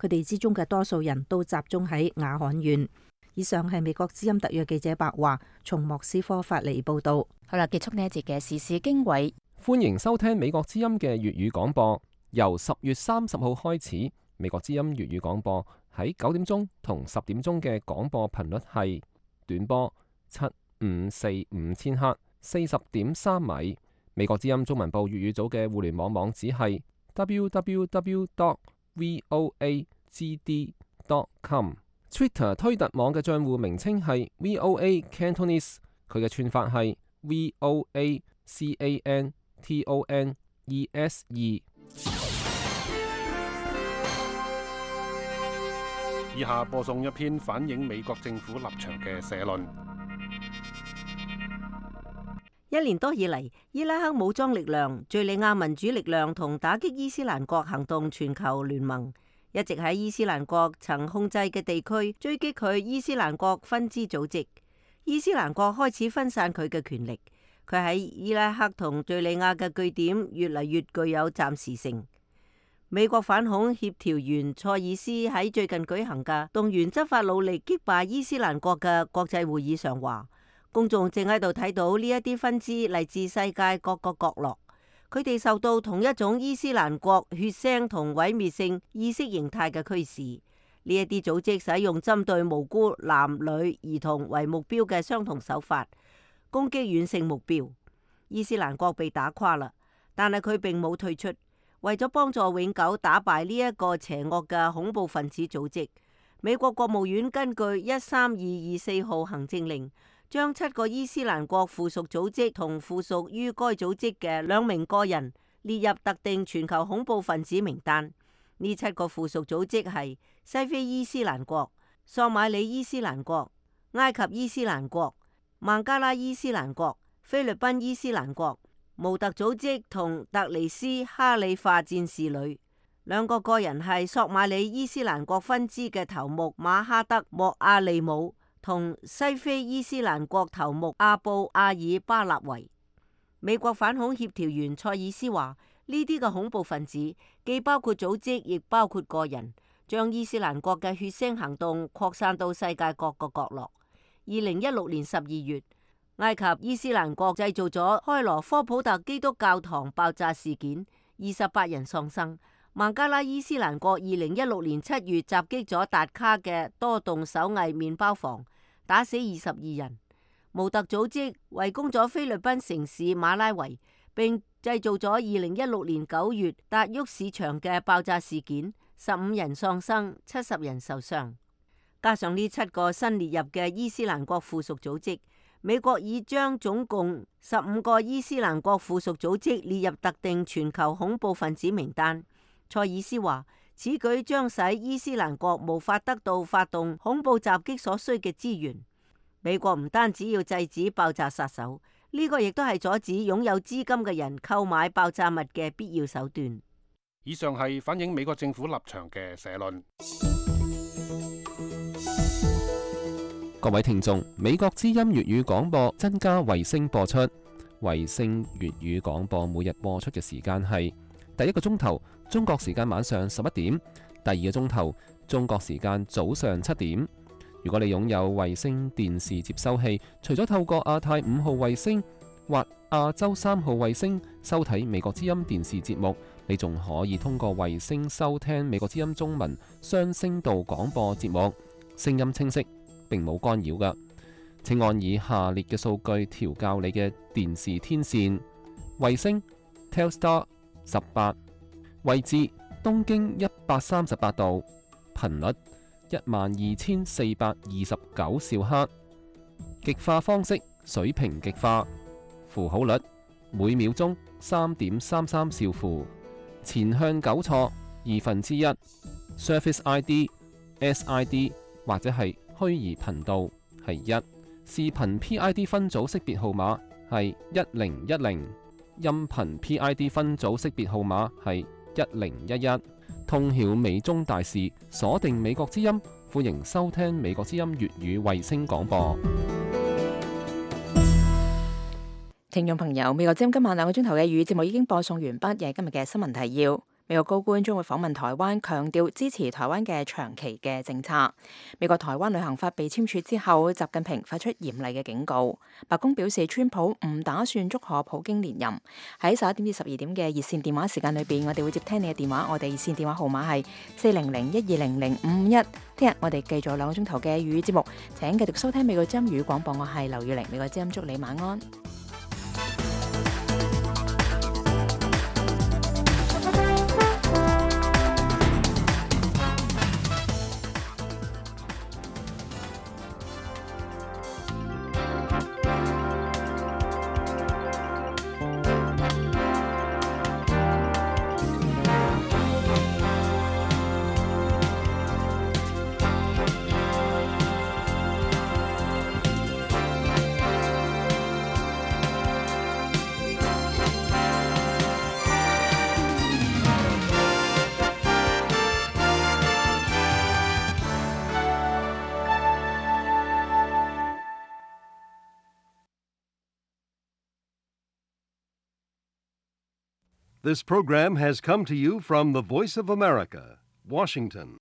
S5: 哋之中嘅多數人都集中喺雅罕縣。以上係美國之音特約記者白華從莫斯科發嚟報道。
S1: 好啦，結束呢一節嘅時事經緯，
S4: 歡迎收聽美國之音嘅粵語廣播。由十月三十號開始，美國之音粵語廣播喺九點鐘同十點鐘嘅廣播頻率係短波七五四五千赫，四十點三米。美國之音中文部粵語組嘅互聯網網址係 double-u double-u double-u dot voa g d dot com。Twitter 推特網嘅賬戶名稱係 V O A Cantonese， 佢嘅串法係 V O A C A N T O N E S E。以下播送一篇反映美國政府立場嘅社論。
S6: 一年多以嚟，伊拉克武裝力量、敘利亞民主力量同打擊伊斯蘭國行動全球聯盟一直喺伊斯蘭國曾控制嘅地區追擊佢伊斯蘭國分支組織。伊斯蘭國開始分散佢嘅權力，佢喺伊拉克同敘利亞嘅據點越嚟越具有暫時性。美國反恐協調員塞爾斯喺最近舉行嘅動員執法努力擊敗伊斯蘭國嘅國際會議上話，公眾正喺度睇到呢一啲分支嚟自世界各個角落，佢哋受到同一種伊斯蘭國血腥同毀滅性意識形態嘅驅使。呢一啲組織使用針對無辜男女兒童為目標嘅相同手法，攻擊遠性目標。伊斯蘭國被打垮啦，但係佢並冇退出。為咗幫助永久打敗呢一個邪惡嘅恐怖分子組織，美國國務院根據一三二二四號行政令，將七個伊斯蘭國附屬組織同附屬於該組織嘅兩名個人列入特定全球恐怖分子名單。呢七個附屬組織係西非伊斯蘭國、索馬里伊斯蘭國、埃及伊斯蘭國、孟加拉伊斯蘭國、菲律賓伊斯蘭國、模特組織同特尼斯哈里發戰士旅。兩個個人係索馬里伊斯蘭國分支嘅頭目馬哈德莫阿利姆同西非伊斯蘭國頭目阿布阿爾巴納維。美國反恐協調員塞爾斯話：呢啲嘅恐怖分子既包括組織，亦包括個人，將伊斯蘭國嘅血腥行動擴散到世界各個角落。二零一六年十二月，埃及伊斯蘭國製造咗開羅科普特基督教堂爆炸事件，二十八人喪生。孟加拉伊斯蘭國二零一六年七月襲擊咗達卡嘅多棟手藝麵包房，打死二十二人。模特組織圍攻咗菲律賓城市馬拉維，並製造咗二零一六年九月達沃市場嘅爆炸事件，十五人喪生，七十人受傷。加上呢七個新列入嘅伊斯蘭國附屬組織，美國已將總共十五個伊斯蘭國附屬組織列入特定全球恐怖分子名單。塞爾斯話：此舉將使伊斯蘭國無法得到發動恐怖襲擊所需嘅資源。美國唔單止要制止爆炸殺手，呢個亦都係阻止擁有資金嘅人購買爆炸物嘅必要手段。
S9: 以上係反映美國政府立場嘅社論。
S4: 各位聽眾，美國之音粵語廣播增加衛星播出，衛星粵語廣播每日播出嘅時間係第一個鐘頭中國時間晚上十一點，第二個鐘頭中國時間早上七點。如果你擁有衛星電視接收器，除咗透過亞太五號衛星或亞洲三號衛星收睇美國之音電視節目，你仲可以通過衛星收聽美國之音中文雙聲道廣播節目，聲音清晰，並冇干擾㗎。請按以下列嘅數據調校你嘅電視天線：衛星 Telstar 十八，位置東經一百三十八度，頻率一萬二千四百二十九兆赫，極化方式水平極化，符號率每秒鐘三點三三兆符，前向糾錯二分之一 ，Surface I D、S I D 或者係虛擬頻道係一，視頻 P I D 分組識別號碼係一零一零，音頻 P I D 分組識別號碼係一零一一。通曉美中大事，鎖定美國之音，歡迎收聽美國之音粵語衛星廣播。
S1: 聽眾朋友，美國之音今晚兩個鐘頭嘅粵語節目已經播送完畢，亦係今日嘅新聞提要。美國高官將會訪問台灣，強調支持台灣嘅長期嘅政策。美國台灣旅行法被簽署之後，習近平發出嚴厲嘅警告。白宮表示，川普唔打算祝賀普京連任。喺十一點至十二點嘅熱線電話時間裏邊，我哋會接聽你嘅電話。我哋熱線電話號碼係四零零一二零零五五一。聽日我哋繼續兩個鐘頭嘅粵語節目，請繼續收聽美國之音粵語廣播。我係劉玉玲，美國之音祝你晚安。
S10: This program has come to you from the Voice of America, Washington.